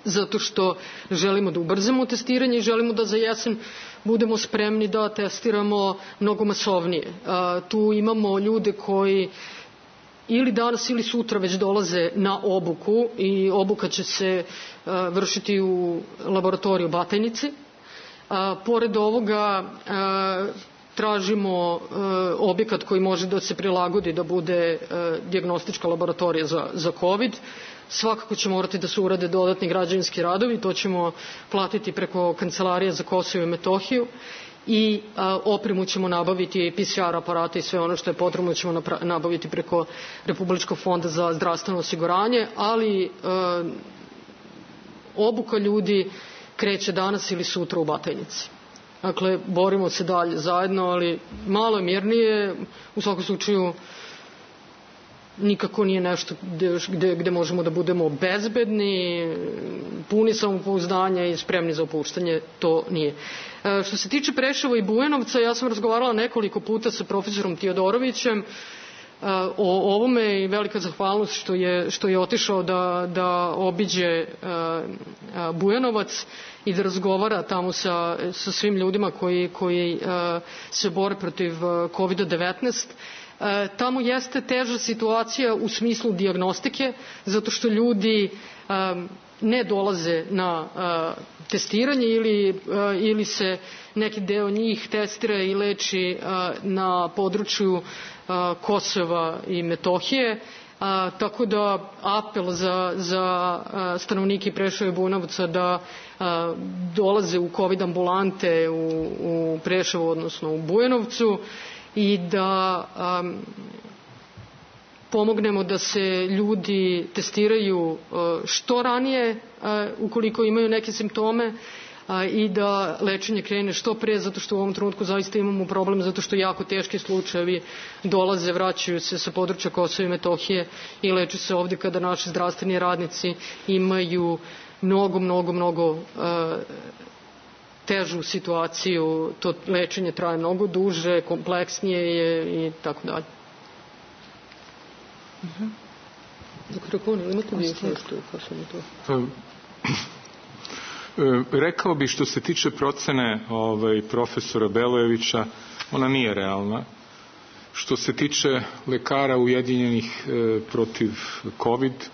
zato što želimo da ubrzamo testiranje i želimo da za jesen budemo spremni da testiramo mnogo masovnije. Tu imamo ljude koji ili danas ili sutra već dolaze na obuku i obuka će se vršiti u laboratoriju Batajnici. Pored ovoga tražimo objekat koji može da se prilagodi da bude dijagnostička laboratorija za, za COVID. Svakako će morati da se urade dodatni građevinski radovi, to ćemo platiti preko Kancelarije za Kosovo i Metohiju i a, opremu ćemo nabaviti, P C R aparate i sve ono što je potrebno ćemo nabaviti preko Republičkog fonda za zdravstveno osiguranje, ali a, obuka ljudi kreće danas ili sutra u Batajnici. Dakle, borimo se dalje zajedno, ali malo je mirnije, u svakom slučaju nikako nije nešto gde, gde, gde možemo da budemo bezbedni, puni samopouzdanja i spremni za opuštanje, to nije. E, što se tiče Preševa i Bujanovca, ja sam razgovarala nekoliko puta sa profesorom Tiodorovićem o ovome i velika zahvalnost što je, što je otišao da, da obiđe Bujanovac i da razgovara tamo sa, sa svim ljudima koji, koji se bore protiv kovid devetnaest. Tamo jeste teža situacija u smislu dijagnostike, zato što ljudi ne dolaze na testiranje ili, ili se neki deo njih testira i leči na području Kosova i Metohije. A, tako da apel za, za a, stanovnike Preševa i Bujanovca da a, dolaze u COVID ambulante u, u Preševu, odnosno u Bujanovcu i da a, pomognemo da se ljudi testiraju a, što ranije a, ukoliko imaju neke simptome a, i da lečenje krene što pre, zato što u ovom trenutku zaista imamo problem, zato što jako teški slučajevi dolaze, vraćaju se sa područja Kosova i Metohije i leče se ovde kada naši zdravstveni radnici imaju mnogo, mnogo, mnogo a, težu situaciju, to lečenje traje mnogo duže, kompleksnije je i tako dalje. Doktor Kon, ili imate vi nešto kao sam to?
Rekao bih što se tiče procene ovaj, profesora Belojevića, ona nije realna. Što se tiče lekara ujedinjenih e, protiv COVID, e,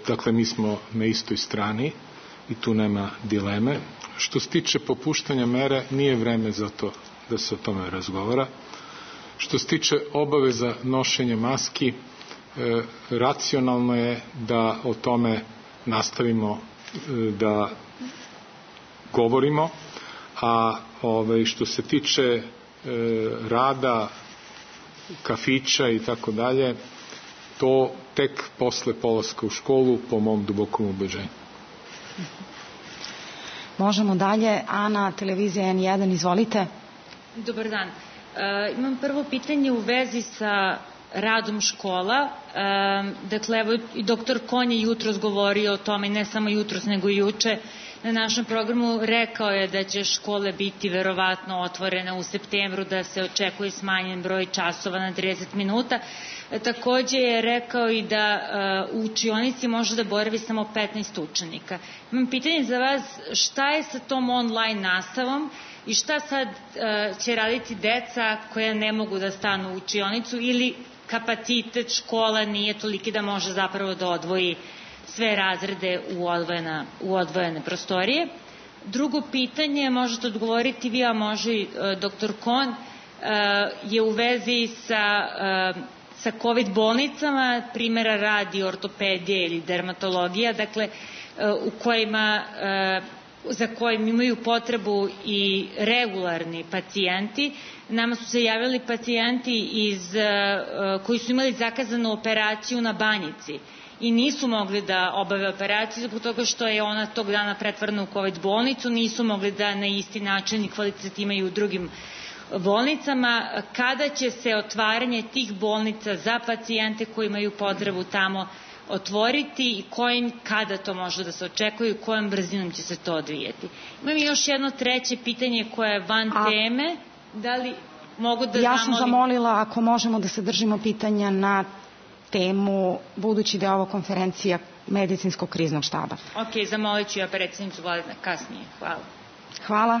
dakle mi smo na istoj strani i tu nema dileme. Što se tiče popuštanja mere, nije vreme za to da se o tome razgovara. Što se tiče obaveza nošenja maski, e, racionalno je da o tome nastavimo e, da govorimo, a ovaj, što se tiče e, rada kafića i tako dalje, to tek posle polaska u školu, po mom dubokom ubeđenju.
Možemo dalje. Ana, televizija N jedan, izvolite.
Dobar dan. E, imam prvo pitanje u vezi sa radom škola. E, dakle, evo i doktor Kon je jutros govorio o tome, ne samo jutros, nego i juče, na našem programu rekao je da će škole biti verovatno otvorene u septembru, da se očekuje smanjen broj časova na trideset minuta. E, takođe je rekao i da e, u učionici može da boravi samo petnaest učenika. Imam pitanje za vas, šta je sa tom online nastavom i šta sad e, će raditi deca koja ne mogu da stanu u učionicu ili kapacitet škola nije toliki da može zapravo da odvoji sve razrede u, odvojena, u odvojene prostorije. Drugo pitanje, možete odgovoriti vi, a može i e, doktor Kon, e, je u vezi sa, e, sa COVID bolnicama, primjera radi ortopedije ili dermatologija, dakle, e, u kojima e, za kojim imaju potrebu i regularni pacijenti. Nama su se javili pacijenti iz, koji su imali zakazanu operaciju na Banjici i nisu mogli da obave operaciju zbog toga što je ona tog dana pretvorena u COVID bolnicu, nisu mogli da na isti način i kvalitet imaju u drugim bolnicama. Kada će se otvaranje tih bolnica za pacijente koji imaju potrebu tamo otvoriti i kojim, kada to može da se očekuje i kojom brzinom će se to odvijeti. Imam još jedno treće pitanje koje je van A, teme. Da li mogu da
ja
zamolim...
sam zamolila ako možemo da se držimo pitanja na temu, budući da je ovo konferencija medicinskog kriznog štaba.
Ok, zamolit ću ja predsjednicu vlade kasnije. Hvala.
Hvala.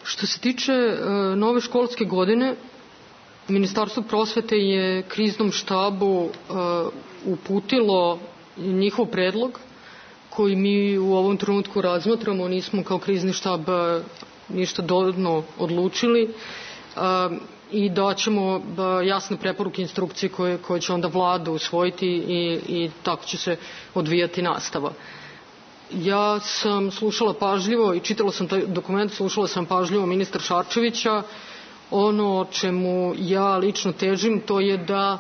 Što se tiče uh, nove školske godine, Ministarstvo prosvete je kriznom štabu uh, uputilo njihov predlog koji mi u ovom trenutku razmatramo, nismo kao krizni štab ništa dodatno odlučili uh, i daćemo uh, jasne preporuke, instrukcije koje, koje će onda vlada usvojiti i, i tako će se odvijati nastava. Ja sam slušala pažljivo i čitala sam taj dokument, slušala sam pažljivo ministra Šarčevića. Ono čemu ja lično težim to je da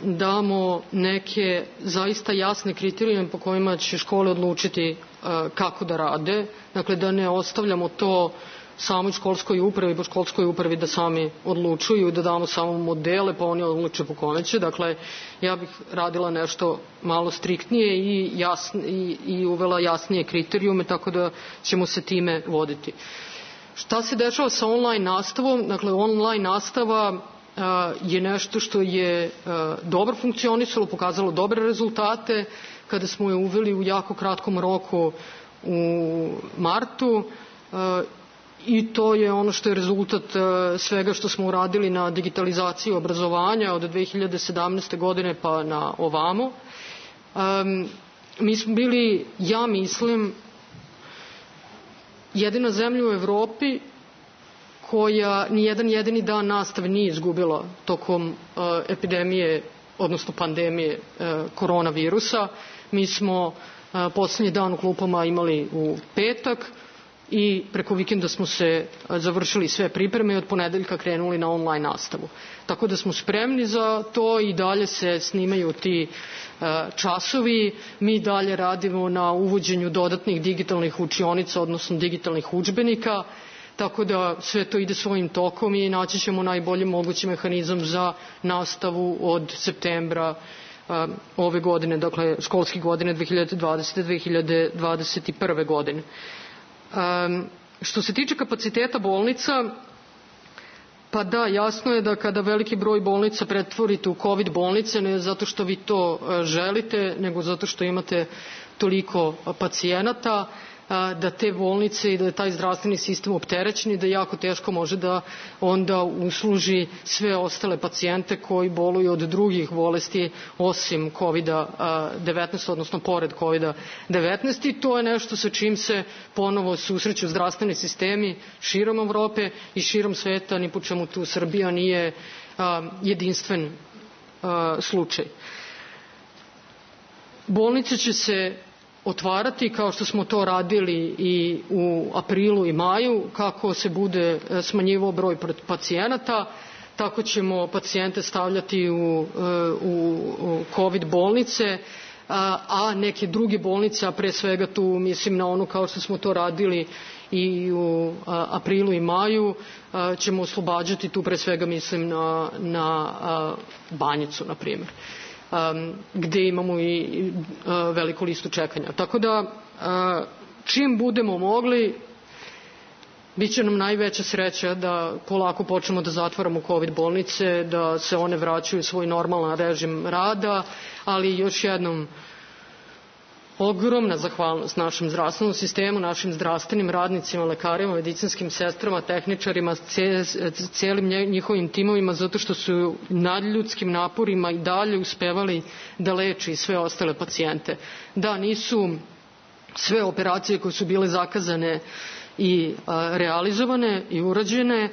damo neke zaista jasne kriterijume po kojima će škole odlučiti uh, kako da rade. Dakle, da ne ostavljamo to samoj školskoj upravi, po školskoj upravi da sami odlučuju i da damo samo modele pa oni odluče po kome će. Dakle, ja bih radila nešto malo striktnije i, jasn, i, i uvela jasnije kriterijume, tako da ćemo se time voditi. Šta se dešava sa online nastavom? Dakle, online nastava uh, je nešto što je uh, dobro funkcionisalo, pokazalo dobre rezultate kada smo je uveli u jako kratkom roku u martu uh, i to je ono što je rezultat uh, svega što smo uradili na digitalizaciji obrazovanja od dve hiljade sedamnaeste. godine pa na ovamo. Um, mi smo bili, ja mislim, jedina zemlja u Evropi koja nijedan jedini dan nastave nije izgubila tokom uh, epidemije, odnosno pandemije uh, koronavirusa. Mi smo uh, poslednji dan u klupama imali u petak i preko vikenda smo se uh, završili sve pripreme i od ponedeljka krenuli na online nastavu. Tako da smo spremni za to i dalje se snimaju ti časovi. Mi dalje radimo na uvođenju dodatnih digitalnih učionica, odnosno digitalnih udžbenika, tako da sve to ide svojim tokom i naći ćemo najbolji mogući mehanizam za nastavu od septembra um, ove godine, dakle školske godine dve hiljade dvadesete. dve hiljade dvadeset prve. godine. Um, što se tiče kapaciteta bolnica, pa da, jasno je da kada veliki broj bolnica pretvorite u COVID bolnice, ne zato što vi to želite, nego zato što imate toliko pacijenata, da te bolnice i da je taj zdravstveni sistem opterećen i da jako teško može da onda usluži sve ostale pacijente koji boluju od drugih bolesti osim COVID devetnaest, odnosno pored COVID devetnaest, i to je nešto sa čim se ponovo susreću zdravstveni sistemi širom Evrope i širom sveta, ni po čemu tu Srbija nije a, jedinstven a, slučaj. Bolnice će se otvarati kao što smo to radili i u aprilu i maju, kako se bude smanjivao broj pacijenata, tako ćemo pacijente stavljati u, u, u COVID bolnice, a, a neke druge bolnice, a pre svega tu mislim na onu kao što smo to radili i u a, aprilu i maju, a, ćemo oslobađati, tu pre svega mislim na, na a, Banjicu, na primjer. Um, gde imamo i uh, veliku listu čekanja. Tako da, uh, čim budemo mogli, bit će nam najveća sreća da polako počnemo da zatvaramo COVID bolnice, da se one vraćaju u svoj normalan režim rada, ali još jednom ogromna zahvalnost našem zdravstvenom sistemu, našim zdravstvenim radnicima, lekarima, medicinskim sestrama, tehničarima, celim njihovim timovima, zato što su nadljudskim naporima i dalje uspevali da leči sve ostale pacijente. Da, nisu sve operacije koje su bile zakazane i realizovane i urađene,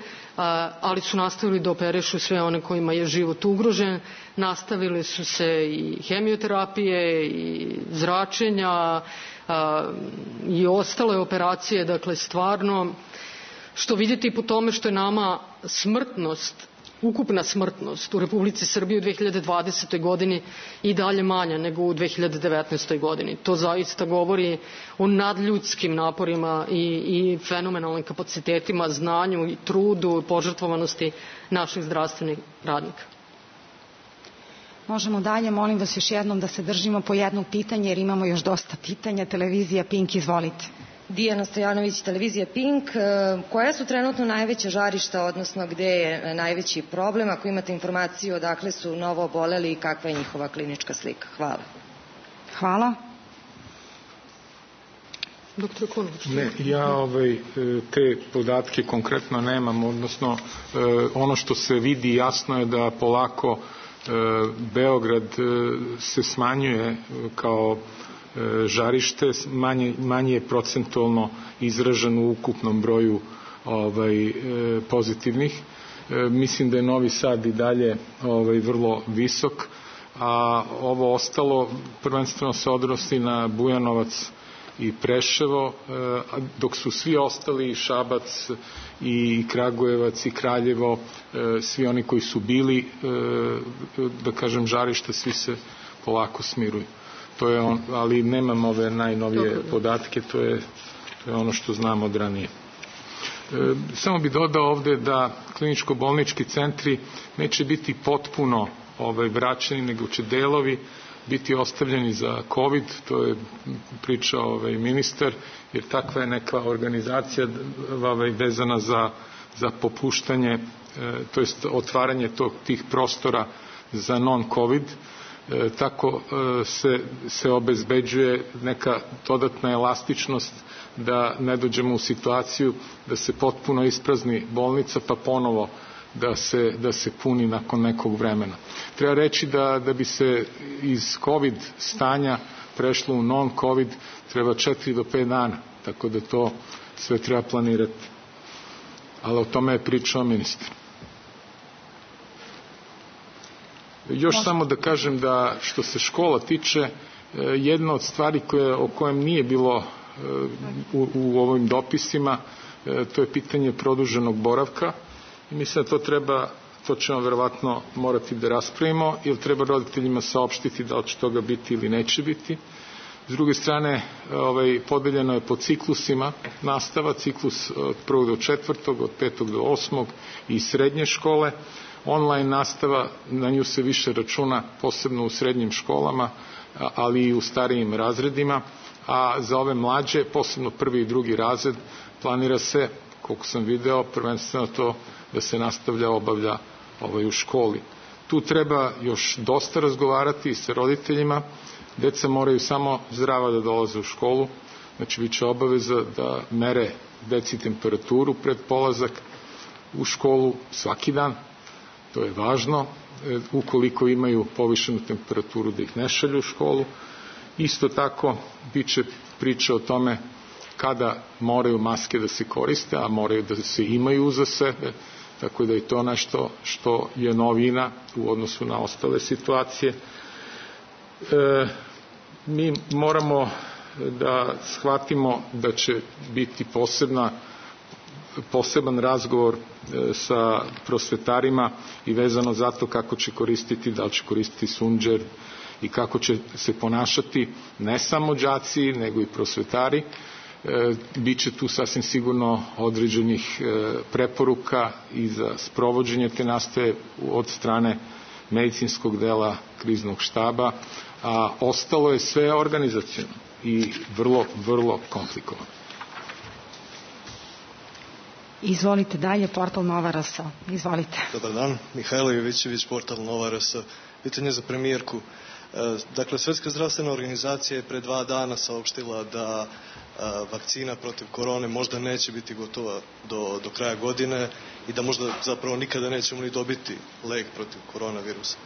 ali su nastavili da operišu sve one kojima je život ugrožen. Nastavili su se i hemioterapije i zračenja i ostale operacije, dakle stvarno, što vidite i po tome što je nama smrtnost, ukupna smrtnost u Republici Srbiji u dve hiljade dvadesetoj godini i dalje manja nego u dve hiljade devetnaestoj godini. To zaista govori o nadljudskim naporima i, i fenomenalnim kapacitetima, znanju i trudu, požrtvovanosti naših zdravstvenih radnika.
Možemo dalje, molim vas još jednom da se držimo po jedno pitanje jer imamo još dosta pitanja. Televizija Pink, izvolite.
Dijana Stojanović, televizija Pink. Koja su trenutno najveća žarišta, odnosno gde je najveći problem? Ako imate informaciju odakle su novo oboleli i kakva je njihova klinička slika? Hvala.
Hvala.
Doktor Konović.
Ne, ja ovaj, te podatke konkretno nemam, odnosno ono što se vidi jasno je da polako Beograd se smanjuje kao žarište, manje, manje je procentualno izražen u ukupnom broju ovaj, pozitivnih. Mislim da je Novi Sad i dalje ovaj, vrlo visok, a ovo ostalo prvenstveno se odnosi na Bujanovac i Preševo, dok su svi ostali, Šabac i Kragujevac i Kraljevo, svi oni koji su bili, da kažem, žarište, svi se polako smiruju. To je on, ali nemam ove najnovije podatke, to je, to je ono što znam od ranije. E, samo bih dodao ovde da kliničko-bolnički centri neće biti potpuno ovaj, vraćeni, nego će delovi biti ostavljeni za COVID, to je pričao ovaj, ministar, jer takva je neka organizacija ovaj, vezana za, za popuštanje, e, to jest otvaranje tog, tih prostora za non-COVID. E, tako e, se, se obezbeđuje neka dodatna elastičnost da ne dođemo u situaciju da se potpuno isprazni bolnica pa ponovo da se, da se puni nakon nekog vremena. Treba reći da, da bi se iz COVID stanja prešlo u non-COVID treba četiri do pet dana, tako da to sve treba planirati. Ali o tome je pričao ministar. Još Možda. samo da kažem da što se škola tiče, jedna od stvari koje, o kojem nije bilo u, u ovim dopisima, to je pitanje produženog boravka. I mislim da to treba, to ćemo verovatno morati da raspravimo, jer treba roditeljima saopštiti da li će toga biti ili neće biti. S druge strane, ovaj, podeljeno je po ciklusima nastava, ciklus od prvog do četvrtog, od petog do osmog i srednje škole. Online nastava, na nju se više računa, posebno u srednjim školama, ali i u starijim razredima, a za ove mlađe, posebno prvi i drugi razred, planira se, koliko sam video, prvenstveno to da se nastavlja, obavlja ovaj, u školi. Tu treba još dosta razgovarati sa roditeljima. Deca moraju samo zdrava da dolaze u školu, znači bit će obaveza da mere deci temperaturu pred polazak u školu svaki dan. To je važno, ukoliko imaju povišenu temperaturu da ih ne šalju u školu. Isto tako bit će priča o tome kada moraju maske da se koriste, a moraju da se imaju uza sebe, tako da je to nešto što je novina u odnosu na ostale situacije. E, mi moramo da shvatimo da će biti posebna poseban razgovor sa prosvetarima i vezano za to kako će koristiti, da li će koristiti sunđer i kako će se ponašati ne samo đaci, nego i prosvetari. E, biće tu sasvim sigurno određenih e, preporuka i za sprovođenje te nastave od strane medicinskog dela kriznog štaba, a ostalo je sve organizaciono i vrlo, vrlo komplikovano.
Izvolite dalje, portal Nova R S. Izvolite.
Dobar dan, Mihajlo Jovićević, portal Nova R S. Pitanje za premijerku. Dakle, Svjetska zdravstvena organizacija je pre dva dana saopštila da vakcina protiv korone možda neće biti gotova do, do kraja godine i da možda zapravo nikada nećemo ni dobiti lek protiv koronavirusa.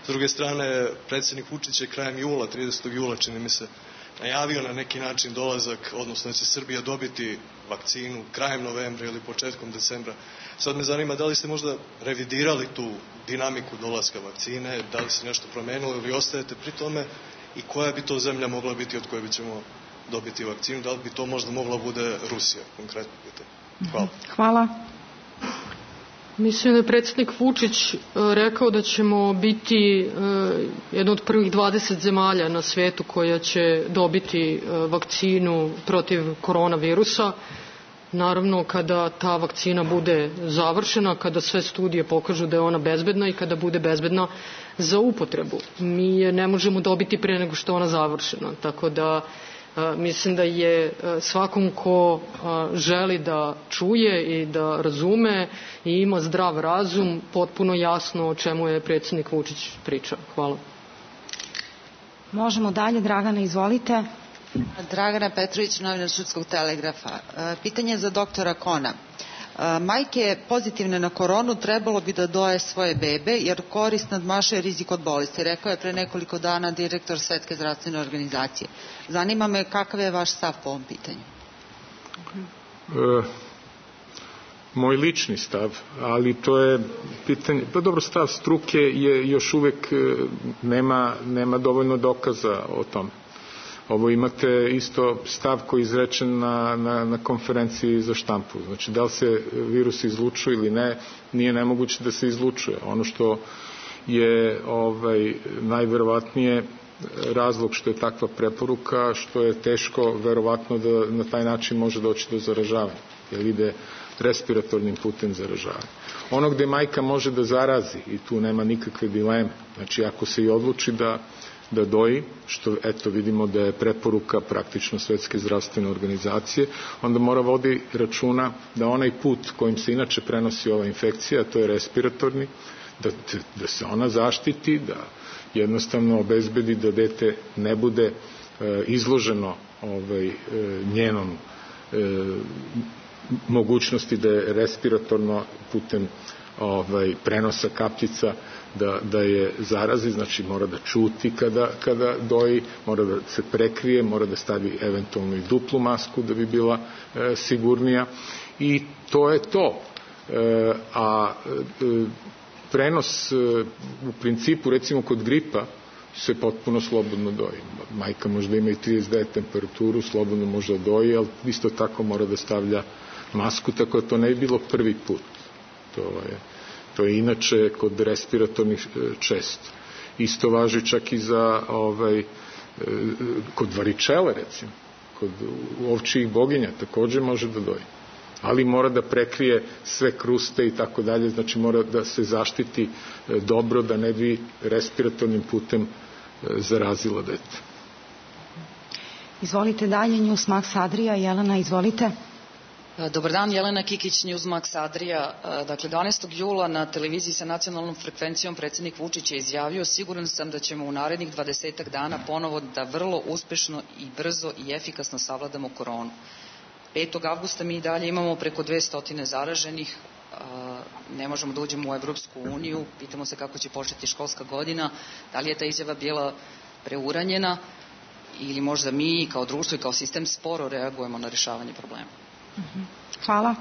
S druge strane, predsjednik Vučić je krajem jula, tridesetog jula čini mi se, najavio na neki način dolazak, odnosno da će Srbija dobiti vakcinu krajem novembra ili početkom decembra. Sad me zanima da li ste možda revidirali tu dinamiku dolaska vakcine, da li se nešto promenilo ili ostajete pri tome i koja bi to zemlja mogla biti od koje bi ćemo dobiti vakcinu, da li bi to možda mogla bude Rusija, konkretno pitanje. Hvala.
Hvala.
Mislim da je predsjednik Vučić rekao da ćemo biti jedna od prvih dvadeset zemalja na svetu koja će dobiti vakcinu protiv koronavirusa. Naravno, kada ta vakcina bude završena, kada sve studije pokažu da je ona bezbedna i kada bude bezbedna za upotrebu. Mi je ne možemo dobiti pre nego što je ona završena, tako da mislim da je svakom ko želi da čuje i da razume i ima zdrav razum potpuno jasno o čemu je predsjednik Vučić pričao. Hvala.
Možemo dalje. Dragana, izvolite.
Dragana Petrović, novinar Šudskog telegrafa. Pitanje za doktora Kona. Majke pozitivne na koronu trebalo bi da doje svoje bebe jer korist nadmašuje rizik od bolesti, rekao je pre nekoliko dana direktor Svetske zdravstvene organizacije. Zanima me kakav je vaš stav po ovom pitanju?
E, moj lični stav, ali to je pitanje, pa dobro, stav struke je još uvek nema, nema dovoljno dokaza o tome. Ovo imate isto stav koji je izrečen na, na, na konferenciji za štampu. Znači, da li se virus izlučuje ili ne, nije nemoguće da se izlučuje. Ono što je ovaj, najverovatnije razlog što je takva preporuka, što je teško verovatno da na taj način može doći do zaražavanja, jer ide respiratornim putem zaražavanja. Ono gde majka može da zarazi, i tu nema nikakve dileme, znači ako se i odluči da da doji, što eto vidimo da je preporuka praktično Svetske zdravstvene organizacije, onda mora vodi računa da onaj put kojim se inače prenosi ova infekcija, to je respiratorni, da, da se ona zaštiti, da jednostavno obezbedi da dete ne bude e, izloženo ovaj, e, njenom e, mogućnosti da je respiratorno putem ovaj, prenosa kapljica Da, da je zarazi, znači mora da čuti kada, kada doji, mora da se prekrije, mora da stavi eventualno i duplu masku da bi bila e, sigurnija i to je to. E, a e, prenos e, u principu recimo kod gripa se potpuno slobodno doji. Majka možda ima i trideset devet temperaturu, slobodno može da doji, ali isto tako mora da stavlja masku, tako da to ne bi bilo prvi put. To je To je inače kod respiratornih često. Isto važi čak i za ovaj, kod varičele recimo, kod ovčijih boginja takođe može da doji. Ali mora da prekrije sve kruste i tako dalje, znači mora da se zaštiti dobro da ne bi respiratornim putem zarazila dete.
Izvolite dalje, Newsmax Adria. Jelena, izvolite.
Dobar dan, Jelena Kikić, Newsmax Adria. Dakle, dvanaestog jula na televiziji sa nacionalnom frekvencijom predsjednik Vučić je izjavio: siguran sam da ćemo u narednih dvadesetak dana ponovo da vrlo uspešno i brzo i efikasno savladamo koronu. petog avgusta mi i dalje imamo preko dvesta zaraženih, ne možemo da uđemo u Evropsku uniju, pitamo se kako će početi školska godina, da li je ta izjava bila preuranjena ili možda mi kao društvo i kao sistem sporo reagujemo na rešavanje problema.
Hvala.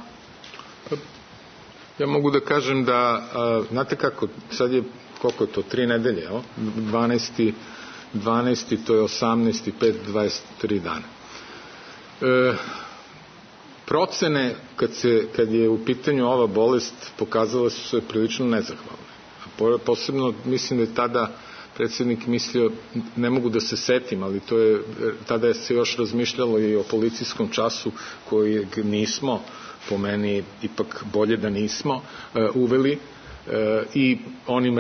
Ja mogu da kažem da, a, znate kako, sad je, koliko je to, tri nedelje, jel? dvanaesti, dvanaesti, to je osamnaesti, pet, dvadeset tri dana. E, procene, kad, se, kad je u pitanju ova bolest, pokazala su se prilično nezahvalne. A posebno, mislim da je tada predsjednik mislio, ne mogu da se setim, ali to je, tada je se još razmišljalo i o policijskom času kojeg nismo, po meni ipak bolje da nismo uveli, i onim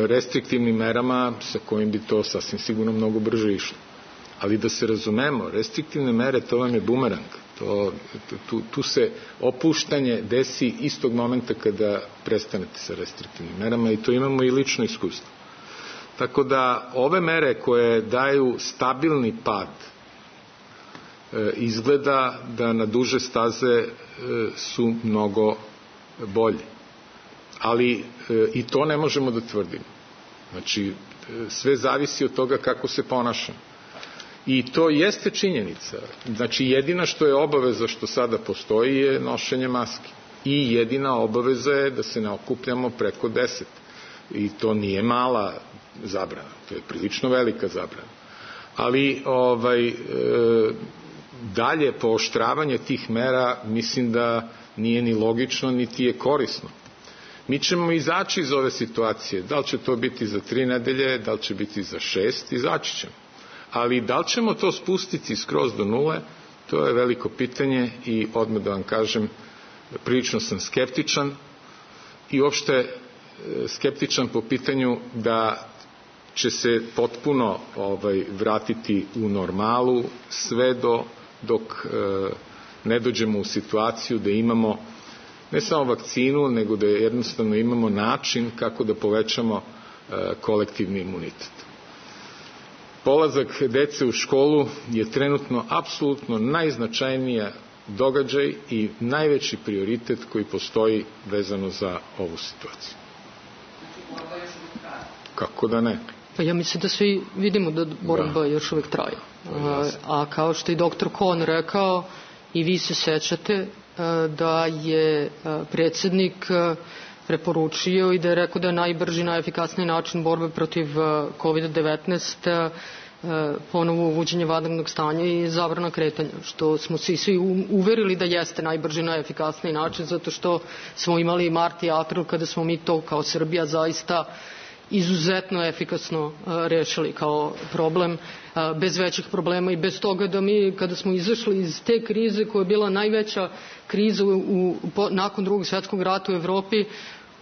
restriktivnim merama sa kojim bi to sasvim sigurno mnogo brže išlo. Ali da se razumemo, restriktivne mere, to vam je bumerang. To, tu, tu se opuštanje desi istog momenta kada prestanete sa restriktivnim merama i to imamo i lično iskustvo. Tako da ove mere koje daju stabilni pad e, izgleda da na duže staze e, su mnogo bolje. Ali e, i to ne možemo da tvrdimo. Znači, e, sve zavisi od toga kako se ponašamo. I to jeste činjenica. Znači, jedina što je obaveza što sada postoji je nošenje maske. I jedina obaveza je da se ne okupljamo preko deset. I to nije mala zabrana, to je prilično velika zabrana. Ali ovaj, e, dalje pooštravanje tih mera mislim da nije ni logično, niti je korisno. Mi ćemo izaći iz ove situacije. Da li će to biti za tri nedelje, da li će biti za šest, izaći ćemo. Ali da li ćemo to spustiti skroz do nule, to je veliko pitanje i odmah da vam kažem, prilično sam skeptičan i uopšte skeptičan po pitanju da će se potpuno ovaj, vratiti u normalu sve do, dok e, ne dođemo u situaciju da imamo ne samo vakcinu, nego da jednostavno imamo način kako da povećamo e, kolektivni imunitet. Polazak dece u školu je trenutno apsolutno najznačajnija događaj i najveći prioritet koji postoji vezano za ovu situaciju. Kako da ne?
Pa ja mislim da svi vidimo da borba da. još uvijek traje. A, a kao što je doktor Kon rekao, i vi se sećate da je predsjednik preporučio i da je rekao da je najbrži, najefikasniji način borbe protiv kovid devetnaest ponovo uvođenje vanrednog stanja i zabrana kretanja, što smo se svi uverili da jeste najbrži, najefikasniji način, zato što smo imali mart i april kada smo mi to kao Srbija zaista izuzetno efikasno rešili kao problem, bez većih problema i bez toga da mi kada smo izašli iz te krize koja je bila najveća kriza u, u, nakon drugog svjetskog rata u Evropi,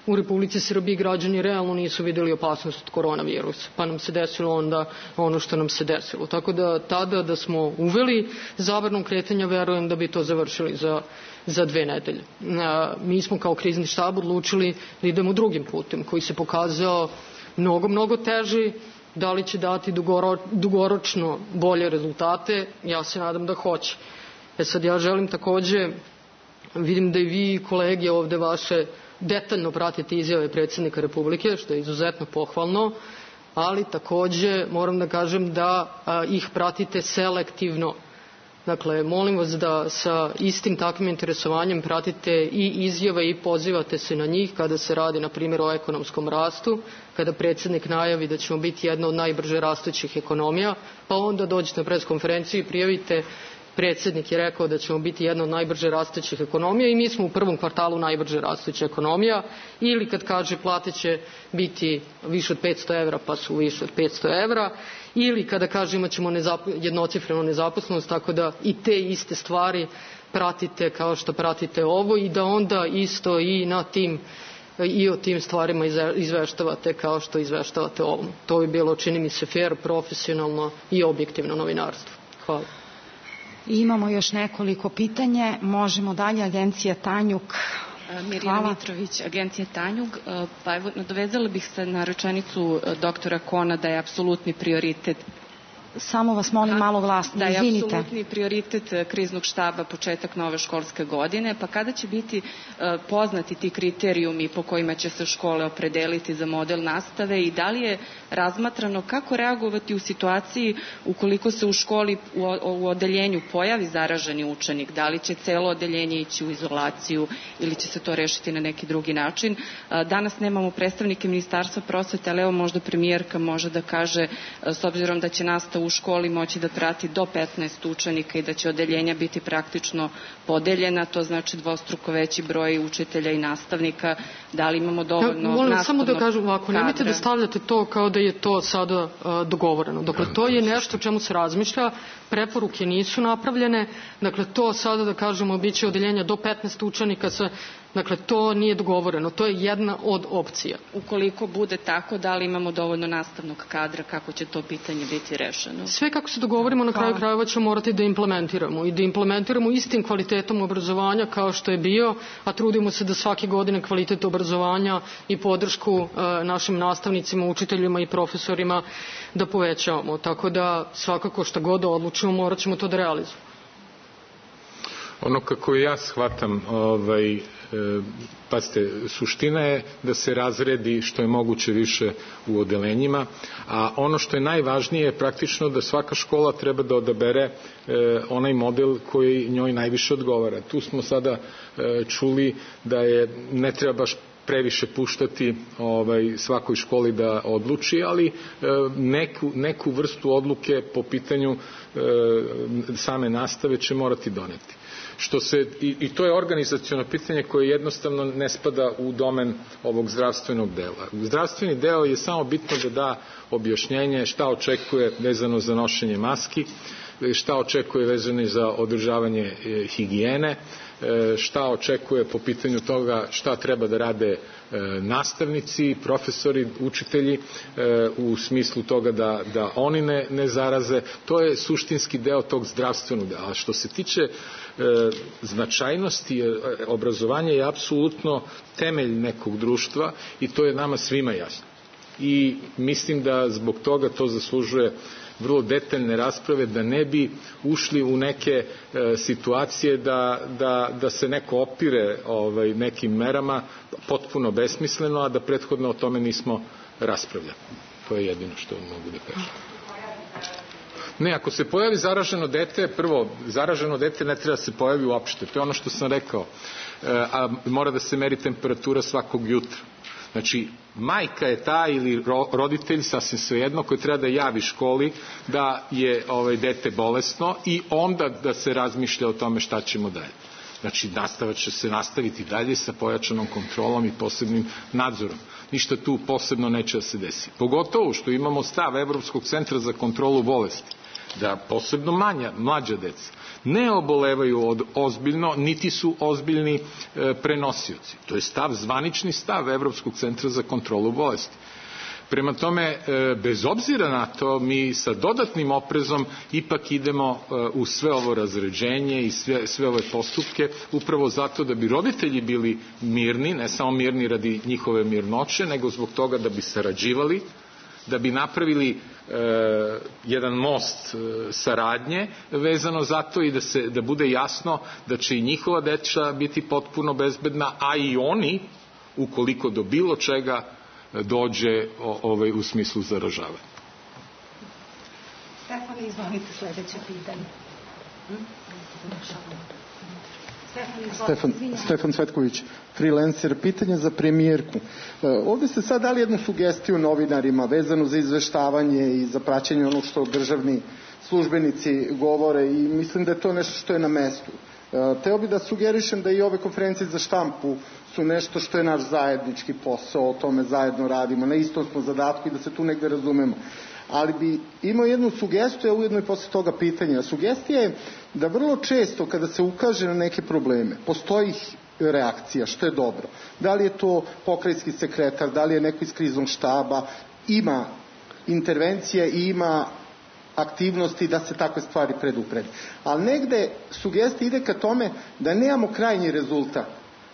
u Republici Srbiji građani realno nisu vidjeli opasnost od koronavirusa, pa nam se desilo onda ono što nam se desilo. Tako da tada da smo uveli zabranom kretanja, verujem da bi to završili za, za dve nedelje. Mi smo kao krizni štab odlučili da idemo drugim putem koji se pokazao mnogo, mnogo teži. Da li će dati dugoro, dugoročno bolje rezultate? Ja se nadam da hoće. E sad ja želim takođe, vidim da i vi kolege ovde vaše detaljno pratite izjave predsjednika Republike, što je izuzetno pohvalno, ali takođe moram da kažem da a, ih pratite selektivno. Dakle, molim vas da sa istim takvim interesovanjem pratite i izjave i pozivate se na njih kada se radi, na primjer, o ekonomskom rastu, kada predsjednik najavi da ćemo biti jedna od najbrže rastućih ekonomija, pa onda dođete na preskonferenciju i prijavite predsjednik je rekao da ćemo biti jedna od najbrže rastućih ekonomija i mi smo u prvom kvartalu najbrže rastuća ekonomija, ili kad kaže plate će biti više od petsto evra pa su više od petsto evra, ili kada kaže imat ćemo nezap, jednocifrenu nezaposlenost, tako da i te iste stvari pratite kao što pratite ovo i da onda isto i na tim i o tim stvarima izveštavate kao što izveštavate ovom. To bi bilo, čini mi se, fair, profesionalno i objektivno novinarstvo. Hvala.
Imamo još nekoliko pitanje. Možemo dalje. Agencija Tanjug.
Mirjana Hvala. Mitrović, Agencija Tanjug. Pa evo, nadovezala bih se na rečenicu doktora Kona da je apsolutni prioritet.
Samo vas molim malo glasno,
da
izvinite.
Da je apsolutni prioritet kriznog štaba početak nove školske godine, pa kada će biti poznati ti kriterijumi po kojima će se škole opredeliti za model nastave i da li je razmatrano kako reagovati u situaciji ukoliko se u školi u, u odeljenju pojavi zaraženi učenik, da li će celo odeljenje ići u izolaciju ili će se to rešiti na neki drugi način. Danas nemamo predstavnike Ministarstva prosvete, ali evo možda premijerka može da kaže, s obzirom da će nastava u školi moći da prati do petnaest učenika i da će odeljenja biti praktično podeljena, to znači dvostruko veći broj učitelja i nastavnika, da li imamo dovoljno ja,
molim
nastavnog
samo da kažem ovako, nemojte da stavljate to kao da je to sada uh, dogovoreno. Dakle, to je nešto o čemu se razmišlja, preporuke nisu napravljene, dakle, to sada da kažemo biće odeljenja do petnaest učenika sa. Dakle, to nije dogovoreno, to je jedna od opcija.
Ukoliko bude tako, da li imamo dovoljno nastavnog kadra, kako će to pitanje biti rešeno?
Sve kako se dogovorimo, na kraju krajeva ćemo morati da implementiramo i da implementiramo istim kvalitetom obrazovanja kao što je bio, a trudimo se da svake godine kvalitet obrazovanja i podršku e, našim nastavnicima, učiteljima i profesorima da povećavamo. Tako da svakako šta god da odlučimo, morat ćemo to da realizujemo.
Ono kako ja shvatam, ovaj, e, pazite, suština je da se razredi što je moguće više u odelenjima, a ono što je najvažnije je praktično da svaka škola treba da odabere e, onaj model koji njoj najviše odgovara. Tu smo sada e, čuli da je, ne treba baš previše puštati ovaj, svakoj školi da odluči, ali e, neku, neku vrstu odluke po pitanju e, same nastave će morati doneti. Što se, i, i to je organizaciono pitanje koje jednostavno ne spada u domen ovog zdravstvenog dela. Zdravstveni deo je samo bitno da da objašnjenje šta očekuje vezano za nošenje maski, šta očekuje vezano za održavanje e, higijene, šta očekuje po pitanju toga šta treba da rade nastavnici, profesori, učitelji u smislu toga da, da oni ne, ne zaraze. To je suštinski deo tog zdravstvenog dela. A što se tiče e, značajnosti, obrazovanje je apsolutno temelj nekog društva i to je nama svima jasno. I mislim da zbog toga to zaslužuje vrlo detaljne rasprave, da ne bi ušli u neke e, situacije da, da, da se neko opire ovaj, nekim merama potpuno besmisleno, a da prethodno o tome nismo raspravljali. To je jedino što mogu da kažem. Ne, ako se pojavi zaraženo dete, prvo, zaraženo dete ne treba da se pojavi uopšte. To je ono što sam rekao. E, a mora da se meri temperatura svakog jutra. Znači, majka je ta ili roditelj, sasvim svejedno, koji treba da javi školi da je ovaj, dete bolesno i onda da se razmišlja o tome šta ćemo dalje. Znači, nastava će se nastaviti dalje sa pojačanom kontrolom i posebnim nadzorom. Ništa tu posebno neće da se desi. Pogotovo što imamo stav Evropskog centra za kontrolu bolesti, da posebno manja, mlađa deca ne obolevaju od ozbiljno, niti su ozbiljni e, prenosioci. To je stav, zvanični stav Evropskog centra za kontrolu bolesti. Prema tome, e, bez obzira na to, mi sa dodatnim oprezom ipak idemo e, u sve ovo razređenje i sve, sve ove postupke, upravo zato da bi roditelji bili mirni, ne samo mirni radi njihove mirnoće, nego zbog toga da bi sarađivali, da bi napravili e, jedan most e, saradnje vezano za to i da, se, da bude jasno da će i njihova deca biti potpuno bezbedna, a i oni, ukoliko do bilo čega dođe o, ovaj, u smislu zaražavanja.
Stefan, izvolite sledeće pitanje. Hm?
Stefan, Stefan Cvetković, freelancer. Pitanje za premijerku. Ovde ste sad dali jednu sugestiju novinarima vezanu za izveštavanje i za praćenje onog što državni službenici govore i mislim da je to nešto što je na mestu. Teo bi da sugerišem da i ove konferencije za štampu su nešto što je naš zajednički posao, o tome zajedno radimo, na istom smo zadatku i da se tu negde razumemo. Ali bi imao jednu sugestiju, a ujedno i posle toga pitanja. Sugestija je da vrlo često kada se ukaže na neke probleme, postoji reakcija, što je dobro. Da li je to pokrajinski sekretar, da li je neko iz kriznog štaba, ima intervencija i ima aktivnosti da se takve stvari predupredi. Ali negde sugestija ide ka tome da nemamo krajnji rezultat.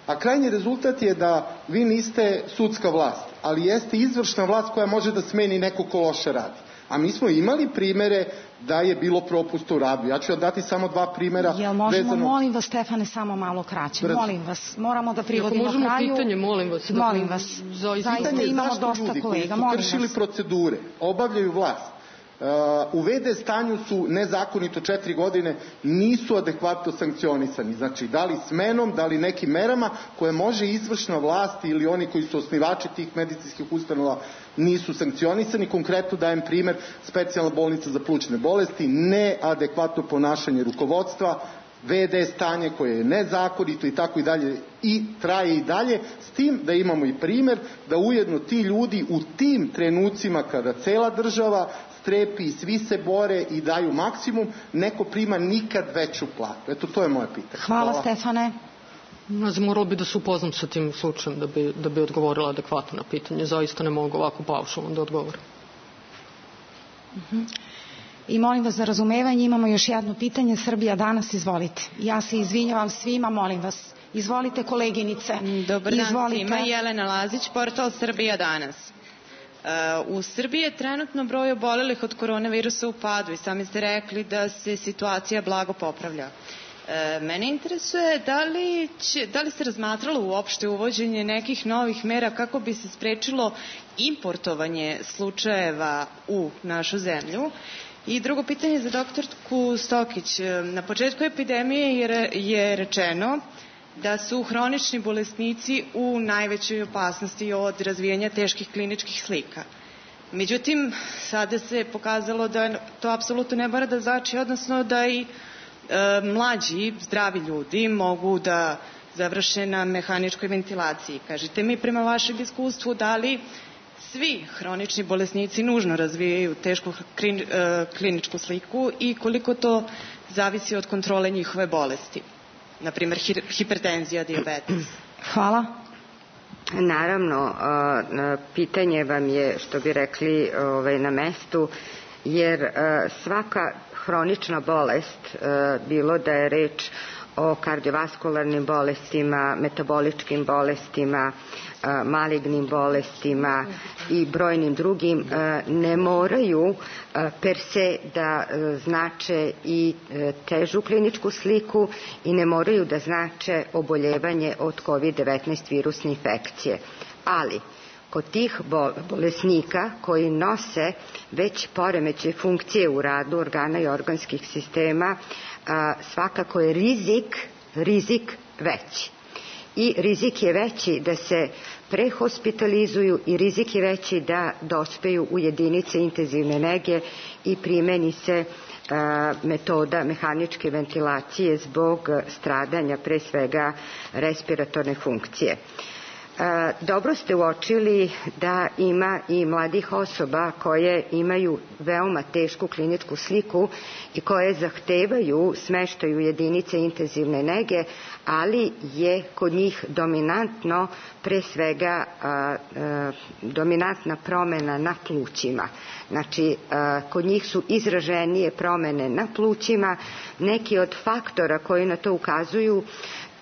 A krajnji rezultat je da vi niste sudska vlast, ali jeste izvršna vlast koja može da smeni neko ko loše radi. A mi smo imali primere da je bilo propusta u radu. Ja ću vam dati samo dva primera.
Jel možemo,
vezano...
molim vas, Stefane, samo malo kraće.
Brzo.
Molim vas, moramo da privodimo
kraju. Ako možemo
kraju.
pitanje, molim vas. Da
molim vas, zaista imamo dosta kolega.
Zašto ljudi koji su kršili procedure, obavljaju vlast, Uh, u ve de stanju su nezakonito četiri godine, nisu adekvatno sankcionisani. Znači, da li smenom, da li nekim merama koje može izvršna vlast ili oni koji su osnivači tih medicinskih ustanova nisu sankcionisani. Konkretno dajem primer, specijalna bolnica za plućne bolesti, neadekvatno ponašanje rukovodstva, ve de stanje koje je nezakonito i tako i dalje i traje i dalje, s tim da imamo i primer da ujedno ti ljudi u tim trenucima kada cela država strepi i svi se bore i daju maksimum, neko prima nikad veću platu. Eto, to je moje pitanje.
Hvala, Hvala. Stefane.
Ne znam, moralo bi da se upoznam sa tim slučajem da bi, da bi odgovorila adekvatno na pitanje. Zaista ne mogu ovako paušalno da odgovorim.
Uh-huh. I molim vas za razumevanje, imamo još jedno pitanje. Srbija danas, izvolite. Ja se izvinjavam svima, molim vas. Izvolite, koleginice.
Dobar dan
izvolite.
Svima, Jelena Lazić, portal Srbija danas. U Srbiji je trenutno broj obolelih od koronavirusa u padu i sami ste rekli da se situacija blago popravlja. E, mene interesuje da li, će, da li se razmatralo uopšte uvođenje nekih novih mera kako bi se sprečilo importovanje slučajeva u našu zemlju. I drugo pitanje za doktorku Stokić. Na početku epidemije je, je rečeno da su hronični bolesnici u najvećoj opasnosti od razvijanja teških kliničkih slika. Međutim, sada se pokazalo da to apsolutno ne mora da znači, odnosno da i e, mlađi, zdravi ljudi mogu da završe na mehaničkoj ventilaciji. Kažite mi prema vašem iskustvu da li svi hronični bolesnici nužno razvijaju tešku kliničku sliku i koliko to zavisi od kontrole njihove bolesti, na primjer hipertenzija, dijabetes.
Hvala.
Naravno, pitanje vam je, što bi rekli, na mestu, jer svaka hronična bolest, bilo da je reč o kardiovaskularnim bolestima, metaboličkim bolestima, malignim bolestima i brojnim drugim, ne moraju per se da znače i težu kliničku sliku i ne moraju da znače oboljevanje od kovid devetnaest virusne infekcije. Ali, kod tih bolesnika koji nose već poremećaje funkcije u radu organa i organskih sistema, svakako je rizik, rizik veći. I rizik je veći da se prehospitalizuju i rizik je veći da dospeju u jedinice intenzivne nege i primeni se metoda mehaničke ventilacije zbog stradanja pre svega respiratorne funkcije. Dobro ste uočili da ima i mladih osoba koje imaju veoma tešku kliničku sliku i koje zahtevaju smeštaj u jedinice intenzivne nege, ali je kod njih dominantno pre svega a, a, dominantna promena na plućima. Znači, a, kod njih su izraženije promene na plućima. Neki od faktora koji na to ukazuju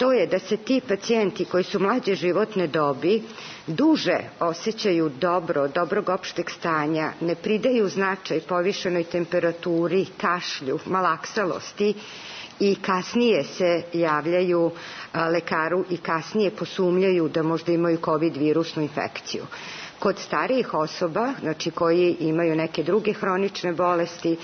to je da se ti pacijenti koji su mlađe životne dobi duže osjećaju dobro, dobrog opšteg stanja, ne pridaju značaj povišenoj temperaturi, kašlju, malaksalosti i kasnije se javljaju lekaru i kasnije posumnjaju da možda imaju covid virusnu infekciju. Kod starijih osoba, znači koji imaju neke druge hronične bolesti,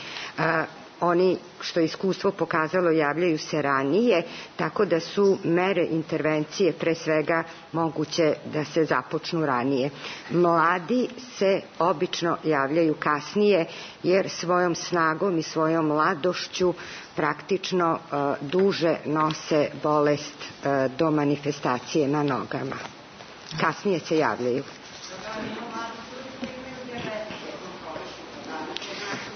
oni, što je iskustvo pokazalo, javljaju se ranije, tako da su mere intervencije pre svega moguće da se započnu ranije. Mladi se obično javljaju kasnije, jer svojom snagom i svojom mladošću praktično uh, duže nose bolest uh, do manifestacije na nogama. Kasnije se javljaju.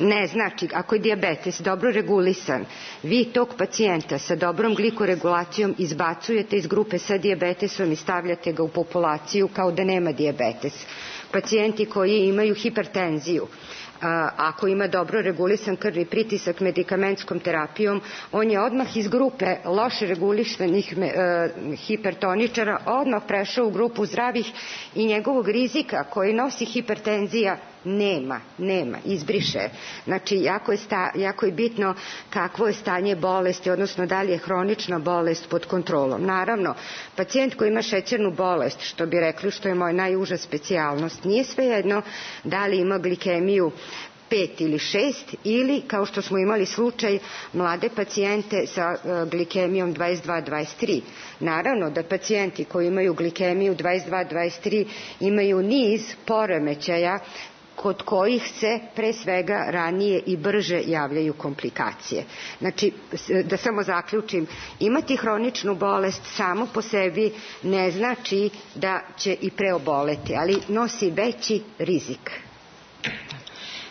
Ne, znači, ako je dijabetes dobro regulisan, vi tog pacijenta sa dobrom glikoregulacijom izbacujete iz grupe sa dijabetesom i stavljate ga u populaciju kao da nema dijabetes. Pacijenti koji imaju hipertenziju, ako ima dobro regulisan krvni pritisak medikamentskom terapijom, on je odmah iz grupe loše regulisanih hipertoničara odmah prešao u grupu zdravih i njegovog rizika koji nosi hipertenzija nema, nema, izbriše. Znači, jako je, sta, jako je bitno kakvo je stanje bolesti, odnosno da li je hronična bolest pod kontrolom. Naravno, pacijent koji ima šećernu bolest, što bi rekli, što je moja najuža specijalnost, nije svejedno da li ima glikemiju pet ili šest ili, kao što smo imali slučaj, mlade pacijente sa glikemijom dvadeset dva dvadeset tri. Naravno da pacijenti koji imaju glikemiju dvadeset dva dvadeset tri imaju niz poremećaja kod kojih se pre svega ranije i brže javljaju komplikacije. Znači, da samo zaključim, imati hroničnu bolest samo po sebi ne znači da će i preoboleti, ali nosi veći rizik.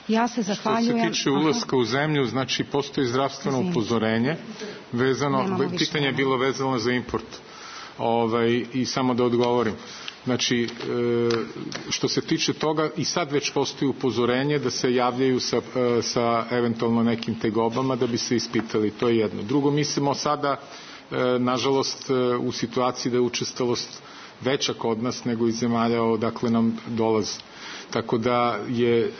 Ja se zahvaljujem.
Što se tiče ulaska u zemlju, znači postoji zdravstveno upozorenje vezano, pitanje je bilo vezano za import. Ovaj, i samo da odgovorim. Znači, što se tiče toga, i sad već postoji upozorenje da se javljaju sa, sa eventualno nekim tegobama da bi se ispitali. To je jedno. Drugo, mislimo sada, nažalost, u situaciji da je učestalost veća kod nas nego iz zemalja odakle nam dolazi. Tako da je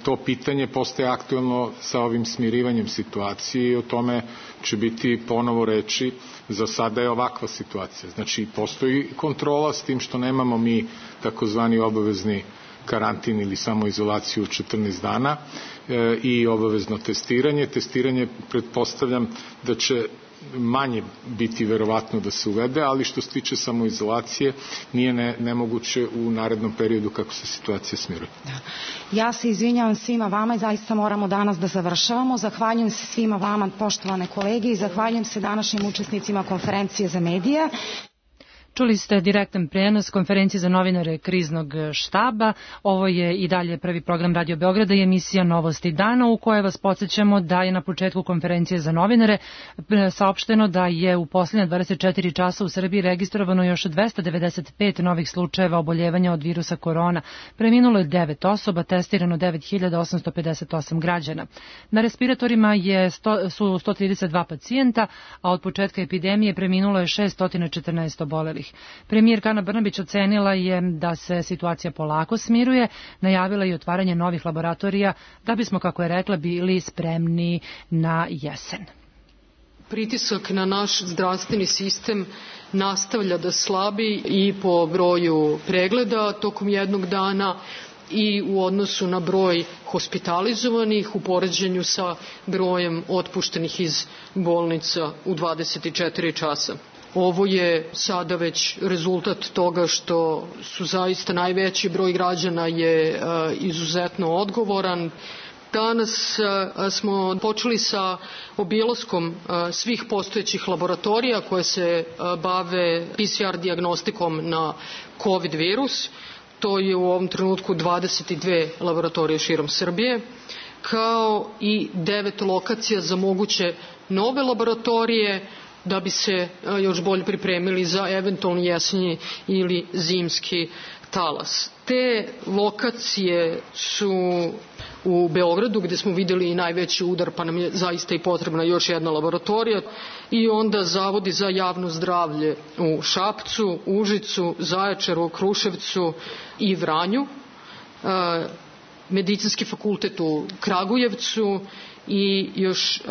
to pitanje postaje aktuelno sa ovim smirivanjem situacije i o tome će biti ponovo reči. Za sada je ovakva situacija. Znači, postoji kontrola s tim što nemamo mi takozvani obavezni karantin ili samoizolaciju četrnaest dana e, i obavezno testiranje. Testiranje pretpostavljam da će manje biti verovatno da se uvede, ali što se tiče samoizolacije nije ne, nemoguće u narednom periodu kako se situacija smiruje.
Da. Ja se izvinjavam svima vama i zaista moramo danas da završavamo. Zahvaljujem se svima vama, poštovane kolege, i zahvaljujem se današnjim učesnicima konferencije za medije.
Čuli ste direktan prenos konferencije za novinare Kriznog štaba. Ovo je i dalje prvi program Radio Beograda i emisija Novosti dana, u kojoj vas podsjećamo da je na početku konferencije za novinare saopšteno da je u posljednja dvadeset četiri časa u Srbiji registrovano još dvesta devedeset pet novih slučajeva oboljevanja od virusa korona. Preminulo je devet osoba, testirano devet hiljada osamsto pedeset osam građana. Na respiratorima je sto, su sto trideset dva pacijenta, a od početka epidemije preminulo je šessto četrnaest obolelih. Premijerka Ana Brnabić ocenila je da se situacija polako smiruje, najavila i otvaranje novih laboratorija da bismo, kako je rekla, bili spremni na jesen.
Pritisak na naš zdravstveni sistem nastavlja da slabi i po broju pregleda tokom jednog dana i u odnosu na broj hospitalizovanih u poređenju sa brojem otpuštenih iz bolnica u dvadeset četiri časa. Ovo je sada već rezultat toga što su zaista najveći broj građana je izuzetno odgovoran. Danas smo počeli sa obilaskom svih postojećih laboratorija koje se bave P C R dijagnostikom na COVID virus. To je u ovom trenutku dvadeset dve laboratorije širom Srbije, kao i devet lokacija za moguće nove laboratorije, da bi se još bolje pripremili za eventualni jesenji ili zimski talas. Te lokacije su u Beogradu, gde smo videli i najveći udar, pa nam je zaista i potrebna još jedna laboratorija, i onda zavodi za javno zdravlje u Šapcu, Užicu, Zaječaru, Kruševcu i Vranju, Medicinski fakultet u Kragujevcu i još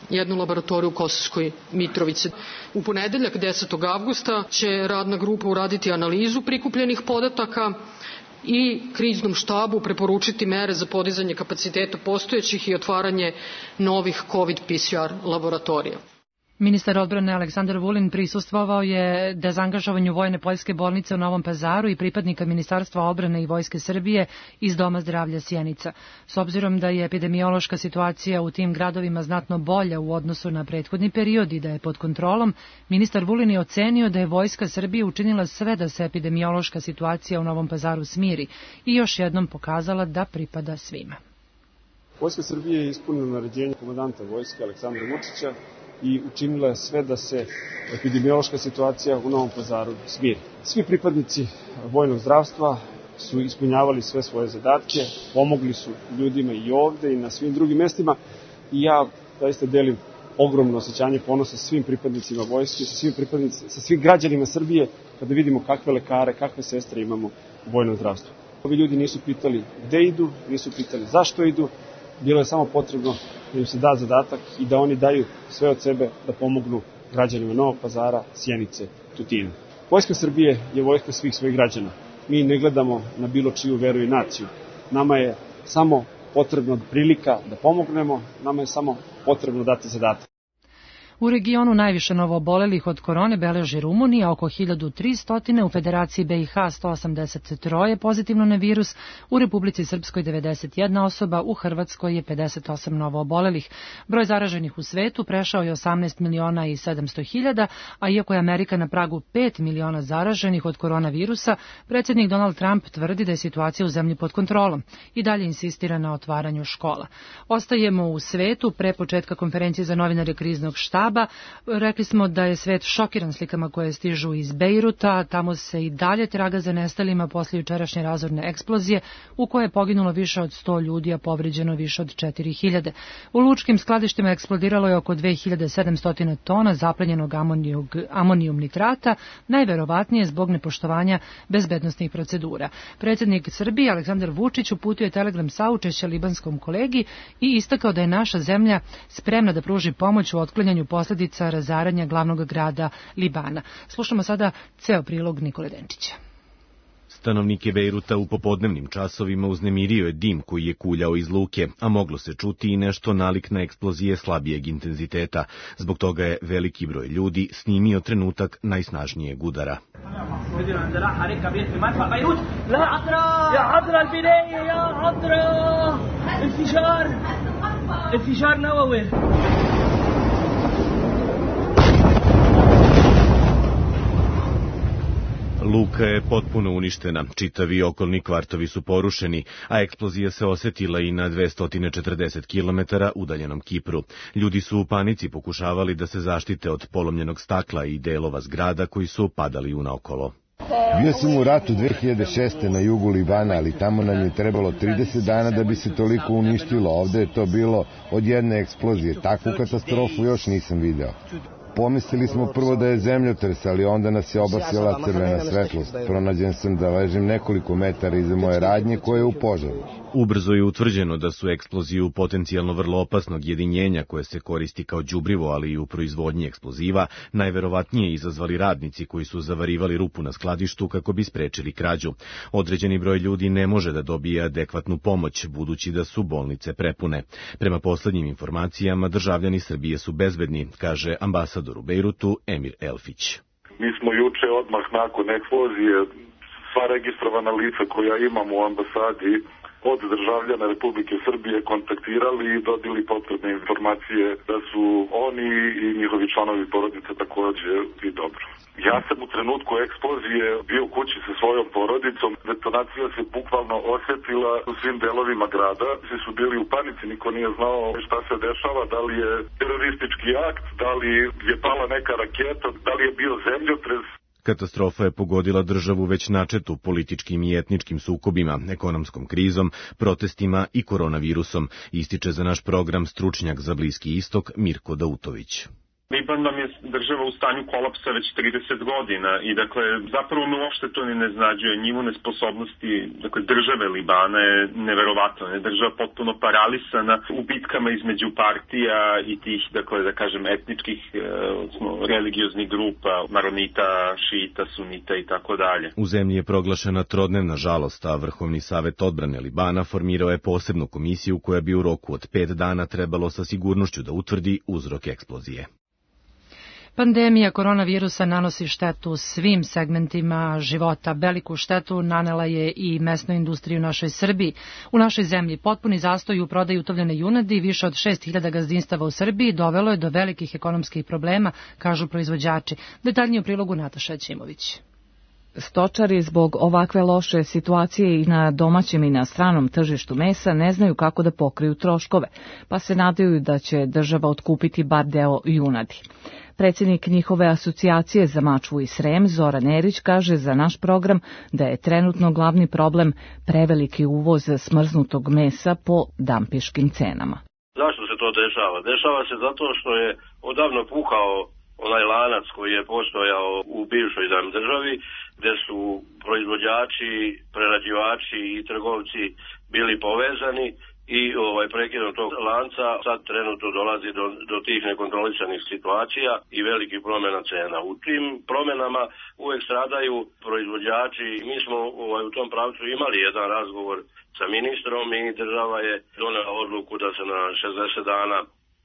jednu laboratoriju u Kosovskoj Mitrovici. U ponedeljak desetog avgusta će radna grupa uraditi analizu prikupljenih podataka i kriznom štabu preporučiti mere za podizanje kapaciteta postojećih i otvaranje novih COVID P C R laboratorija.
Ministar odbrane Aleksandar Vulin prisustvovao je dezangažovanju vojne poljske bolnice u Novom Pazaru i pripadnika Ministarstva odbrane i Vojske Srbije iz Doma zdravlja Sjenica. S obzirom da je epidemiološka situacija u tim gradovima znatno bolja u odnosu na prethodni period i da je pod kontrolom, ministar Vulin je ocenio da je Vojska Srbije učinila sve da se epidemiološka situacija u Novom Pazaru smiri i još jednom pokazala da pripada svima.
Vojska Srbije je ispunila naređenje komandanta vojske Aleksandra Vučića i učinila je sve da se epidemiološka situacija u Novom Pazaru smiri. Svi pripadnici vojnog zdravstva su ispunjavali sve svoje zadatke, pomogli su ljudima i ovde i na svim drugim mestima i ja zaista delim ogromno osjećanje ponosa svim pripadnicima vojske, sa svim, pripadnicima, sa svim građanima Srbije kada vidimo kakve lekare, kakve sestre imamo u vojnom zdravstvu. Ovi ljudi nisu pitali gde idu, nisu pitali zašto idu, bilo je samo potrebno da im se da zadatak i da oni daju sve od sebe da pomognu građanima Novog Pazara, Sjenice, Tutina. Vojska Srbije je vojska svih svojih građana. Mi ne gledamo na bilo čiju veru i naciju. Nama je samo potrebno prilika da pomognemo, nama je samo potrebno dati zadatak.
U regionu najviše novoobolelih od korone beleži Rumunija, oko hiljadu tristo, u Federaciji B i H sto osamdeset tri pozitivno na virus, u Republici Srpskoj devedeset jedna osoba, u Hrvatskoj je pedeset osam novoobolelih. Broj zaraženih u svetu prešao je osamnaest miliona i sedamsto hiljada, a iako je Amerika na pragu pet miliona zaraženih od koronavirusa, predsjednik Donald Trump tvrdi da je situacija u zemlji pod kontrolom i dalje insistira na otvaranju škola. Ostajemo u svetu pre početka konferencije za novinare Kriznog štaba. štaba. Rekli smo da je svet šokiran slikama koje stižu iz Bejruta. Tamo se i dalje traga za nestalima posle jučerašnje razorne eksplozije u kojoj je poginulo više od sto ljudi, a povređeno više od četiri hiljade. U lučkim skladištima eksplodiralo je oko dve hiljade sedamsto tona zaplenjenog amonijum nitrata, najverovatnije zbog nepoštovanja bezbednosnih procedura. Predsjednik Srbije Aleksandar Vučić uputio je telegram saučešća libanskom kolegi i istakao da je naša zemlja spremna da pruži pomoć u otklanjanju posljedica razaranja glavnog grada Libana. Slušamo sada ceo prilog Nikole Denčića.
Stanovnike Bejruta u popodnevnim časovima uznemirio je dim koji je kuljao iz luke, a moglo se čuti i nešto nalik na eksplozije slabijeg intenziteta. Zbog toga je veliki broj ljudi snimio trenutak najsnažnijeg udara. Luka je potpuno uništena, čitavi okolni kvartovi su porušeni, a eksplozija se osetila i na dvesta četrdeset kilometara udaljenom Kipru. Ljudi su u panici pokušavali da se zaštite od polomljenog stakla i delova zgrada koji su padali unaokolo.
Bio sam u ratu dve hiljade šeste. na jugu Libana, ali tamo nam je trebalo trideset dana da bi se toliko uništilo. Ovde je to bilo od jedne eksplozije. Takvu katastrofu još nisam video. Pomislili smo prvo da je zemljotres, ali onda nas je obasjala crvena svetlost. Pronađen sam da ležim nekoliko metara iza moje radnje koje je u požaru.
Ubrzo je utvrđeno da su eksploziju potencijalno vrlo opasnog jedinjenja koje se koristi kao đubrivo, ali i u proizvodnji eksploziva, najverovatnije izazvali radnici koji su zavarivali rupu na skladištu kako bi sprečili krađu. Određeni broj ljudi ne može da dobije adekvatnu pomoć, budući da su bolnice prepune. Prema poslednjim informacijama, državljani Srbije su bezbedni, kaže ambasador u Bejrutu Emir Elfić.
Mi smo juče odmah nakon eksplozije sva registrovana lica koja imamo u ambasadi od državljana Republike Srbije kontaktirali i dobili potrebne informacije da su oni i njihovi članovi porodice takođe i dobro. Ja sam u trenutku eksplozije bio u kući sa svojom porodicom. Detonacija se bukvalno osetila u svim delovima grada. Svi su bili u panici, niko nije znao šta se dešava, da li je teroristički akt, da li je pala neka raketa, da li je bio zemljotres.
Katastrofa je pogodila državu već načetu političkim i etničkim sukobima, ekonomskom krizom, protestima i koronavirusom, ističe za naš program stručnjak za Bliski istok Mirko Dautović.
Liban nam je država u stanju kolapsa već trideset godina i dakle zapravo me uopšte to ne iznenađuje. Nivo nesposobnosti dakle, države Libana je neverovatno. Je država potpuno paralisana u bitkama između partija i tih, dakle da kažem, etničkih, odnosno religioznih grupa, maronita, šita, sunita i tako dalje.
U zemlji je proglašena trodnevna žalost, a Vrhovni savet odbrane Libana formirao je posebnu komisiju koja bi u roku od pet dana trebalo sa sigurnošću da utvrdi uzrok eksplozije.
Pandemija koronavirusa nanosi štetu svim segmentima života. Veliku štetu nanela je i mesnoj industriji u našoj Srbiji. U našoj zemlji potpuni zastoj u prodaju utovljene junadi, više od šest hiljada gazdinstava u Srbiji, dovelo je do velikih ekonomskih problema, kažu proizvođači. Detaljnije u prilogu Nataša Ćimović.
Stočari zbog ovakve loše situacije i na domaćem i na stranom tržištu mesa ne znaju kako da pokriju troškove, pa se nadaju da će država otkupiti bar deo junadi. Predsjednik njihove asocijacije za Mačvu i Srem, Zoran Erić, kaže za naš program da je trenutno glavni problem preveliki uvoz smrznutog mesa po dampiškim cenama.
Zašto se to dešava? Dešava se zato što je odavno pukao onaj lanac koji je postojao u bivšoj nam državi, gde su proizvođači, prerađivači i trgovci bili povezani i ovaj prekidom tog lanca sad trenutno dolazi do, do tih nekontrolisanih situacija i velikih promjena cena. U tim promjenama uvek stradaju proizvođači. Mi smo ovaj, u tom pravcu imali jedan razgovor sa ministrom i država je donela odluku da se na šezdeset dana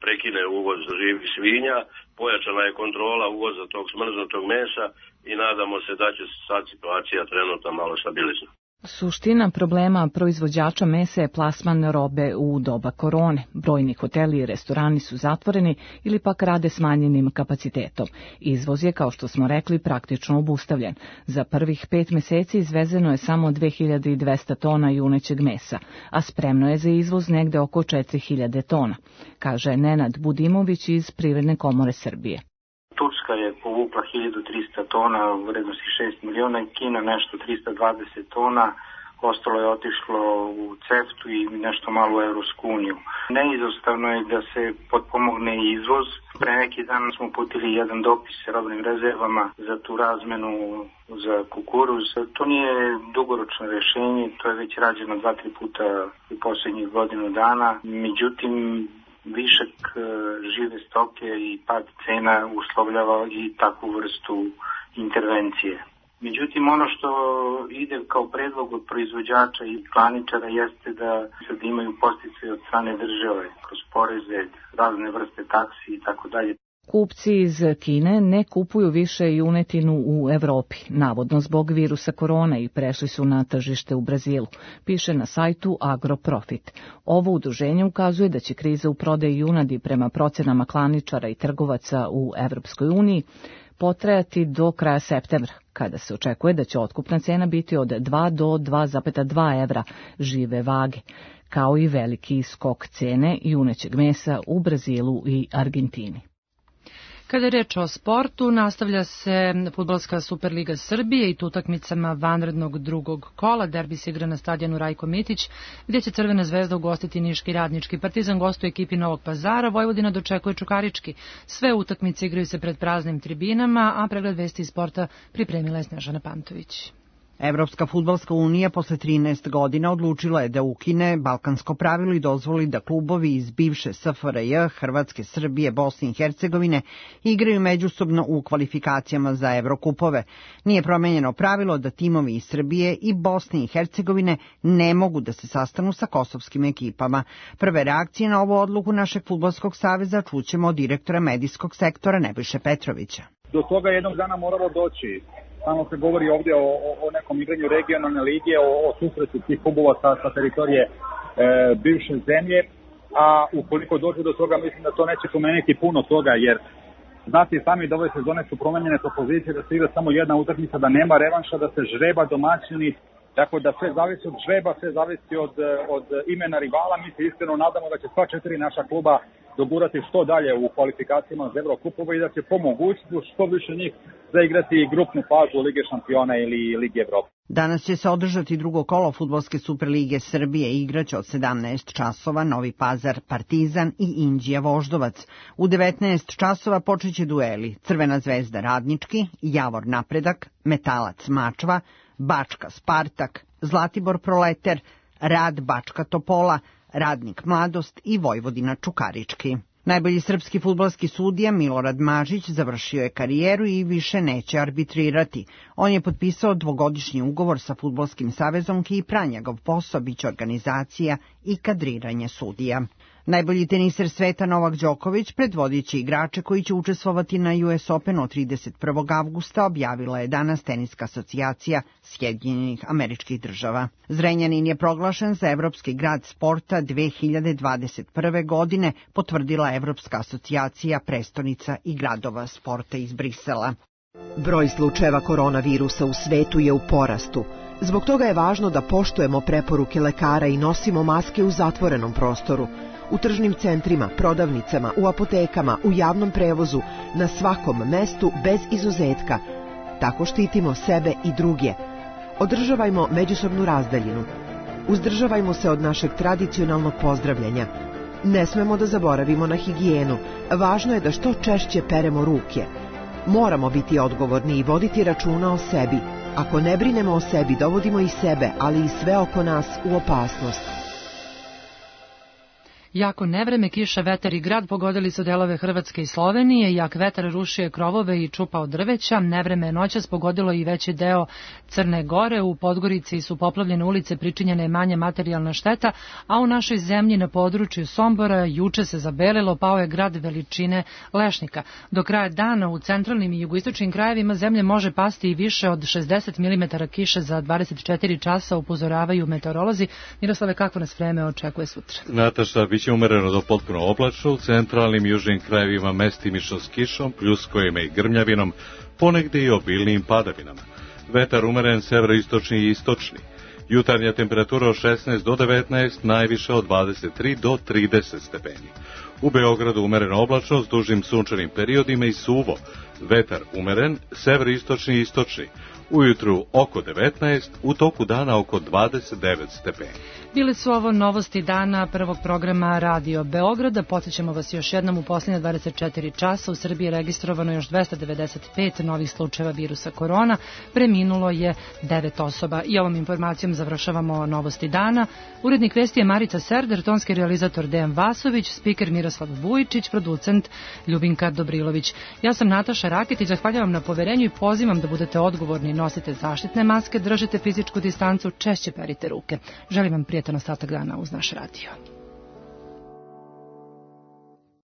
prekine uvoz živih svinja, pojačana je kontrola uvoza tog smrznutog mesa i nadamo se da će sad situacija trenutno malo stabilizovati.
Suština problema proizvođača mesa je plasman robe u doba korone. Brojni hoteli i restorani su zatvoreni ili pak rade smanjenim kapacitetom. Izvoz je, kao što smo rekli, praktično obustavljen. Za prvih pet meseci izvezeno je samo dve hiljade dvesta tona junećeg mesa, a spremno je za izvoz negde oko četiri hiljade tona, kaže Nenad Budimović iz Privredne komore Srbije.
Turska je povukla hiljadu trista tona u vrednosti šest miliona i Kina nešto trista dvadeset tona, ostalo je otišlo u CEFTU i nešto malo u Evropsku uniju. Neizostavno je da se potpomogne izvoz. Pre neki dan smo uputili jedan dopis s robnim rezervama za tu razmenu za kukuruz. To nije dugoročno rešenje, to je već rađeno dva, tri puta u poslednjih godinu dana. Međutim, višak žive stoke i pad cena uslovljava i takvu vrstu intervencije. Međutim, ono što ide kao predlog od proizvođača i klaničara jeste da sad imaju podsticaje od strane države kroz poreze, razne vrste taksi i tako dalje.
Kupci iz Kine ne kupuju više junetinu u Evropi, navodno zbog virusa korona, i prešli su na tržište u Brazilu, piše na sajtu Agroprofit. Ovo udruženje ukazuje da će kriza u prodaji junadi prema procenama klaničara i trgovaca u Evropskoj uniji potrajati do kraja septembra, kada se očekuje da će otkupna cena biti od dva do dva zarez dva evra žive vage, kao i veliki skok cene junećeg mesa u Brazilu i Argentini.
Kada je reč o sportu, nastavlja se Fudbalska Superliga Srbije i to utakmicama vanrednog drugog kola. Derbi se igra na stadionu Rajko Mitić, gdje će Crvena zvezda ugostiti Niški Radnički. Partizan gostuje ekipi Novog Pazara, Vojvodina dočekuje Čukarički. Sve utakmice igraju se pred praznim tribinama, a pregled vesti iz sporta pripremila je Snežana Pantović.
Evropska fudbalska unija posle trinaest godina odlučila je da ukine balkansko pravilo i dozvoli da klubovi iz bivše S F R J, Hrvatske, Srbije, Bosne i Hercegovine igraju međusobno u kvalifikacijama za Evrokupove. Nije promenjeno pravilo da timovi iz Srbije i Bosne i Hercegovine ne mogu da se sastanu sa kosovskim ekipama. Prve reakcije na ovu odluku našeg fudbalskog saveza čućemo od direktora medijskog sektora Nebojše Petrovića.
Do toga jednog dana moralo doći. Samo se govori ovdje o, o nekom igranju regionalne lige, o, o susretu tih klubova sa, sa teritorije e, bivše zemlje, a ukoliko dođe do toga, mislim da to neće promeniti puno toga, jer znate i sami da ove sezone su promenjene po pozicije, da se igra samo jedna utakmica, da nema revanša, da se žreba domaćini, tako da sve zavisi od žreba, sve zavisi od, od imena rivala. Mi se iskreno nadamo da će sva četiri naša kluba dogurati što dalje u kvalifikacijama za Evrokupove i da će po mogućstvu što više njih zaigrati grupnu fazu Lige šampiona ili Lige Evrope.
Danas će se održati drugo kolo Fudbalske Superlige Srbije. Igraće od sedamnaest časova Novi Pazar Partizan i Inđija Voždovac. U devetnaest časova počeće dueli Crvena zvezda Radnički, Javor Napredak, Metalac Mačva, Bačka Spartak, Zlatibor Proleter, Rad Bačka Topola, Radnik Mladost i Vojvodina Čukarički. Najbolji srpski fudbalski sudija Milorad Mažić završio je karijeru i više neće arbitrirati. On je potpisao dvogodišnji ugovor sa Fudbalskim savezom i pra njegov posao biće organizacija i kadriranje sudija. Najbolji teniser sveta Novak Đoković, predvodići igrače koji će učestvovati na U S Openu od trideset prvog avgusta, objavila je danas Teniska asocijacija Sjedinjenih Američkih Država. Zrenjanin je proglašen za Evropski grad sporta dve hiljade dvadeset prve. godine, potvrdila Evropska asocijacija prestonica i gradova sporta iz Brisela.
Broj slučajeva koronavirusa u svetu je u porastu. Zbog toga je važno da poštujemo preporuke lekara i nosimo maske u zatvorenom prostoru. U tržnim centrima, prodavnicama, u apotekama, u javnom prevozu, na svakom mestu bez izuzetka. Tako štitimo sebe i druge. Održavajmo međusobnu razdaljinu. Uzdržavajmo se od našeg tradicionalnog pozdravljanja. Ne smemo da zaboravimo na higijenu. Važno je da što češće peremo ruke. Moramo biti odgovorni i voditi računa o sebi. Ako ne brinemo o sebi, dovodimo i sebe, ali i sve oko nas u opasnost.
Jako nevreme, kiša, vetar i grad pogodili su delove Hrvatske i Slovenije, jak vetar rušio je krovove i čupao drveća, nevreme je noćas pogodilo i veći deo Crne Gore, u Podgorici su poplavljene ulice, pričinjena je manja materijalna šteta, a u našoj zemlji na području Sombora juče se zabelilo, pao je grad veličine lešnika. Do kraja dana u centralnim i jugoistočnim krajevima zemlje može pasti i više od šezdeset milimetara kiše za dvadeset četiri časa, upozoravaju meteorolozi. Miroslave, kako nas vreme očekuje sutra?
Nataša, bit će umereno do potpuno oblačno, u centralnim i južnim krajevima mestimično s kišom, pljuskovima i grmljavinom, ponegde i obilnim padavinama. Vetar umeren severoistočni i istočni. Jutarnja temperatura od šesnaest do devetnaest, najviše od dvadeset tri do trideset stepeni. U Beogradu umereno oblačno s dužim sunčanim periodima i suvo. Vetar umeren, severoistočni i istočni. Ujutru oko devetnaest, u toku dana oko dvadeset devet stepeni.
Bile su ovo novosti dana prvog programa Radio Beograda. Podsjećamo vas još jednom, u posljednje dvadeset četiri časa u Srbiji je registrovano još dvesta devedeset pet novih slučajeva virusa korona. Preminulo je devet osoba. I ovom informacijom završavamo novosti dana. Urednik vesti je Marica Serder, tonski realizator Dejan Vasović, spiker Miroslav Vujičić, producent Ljubinka Dobrilović. Ja sam Nataša Raketić, zahvaljujem na poverenju i pozivam da budete odgovorni. Nosite zaštitne maske, držite fizičku distancu, češće perite ruke. Želim vam prijatan ostatak dana uz naš radio.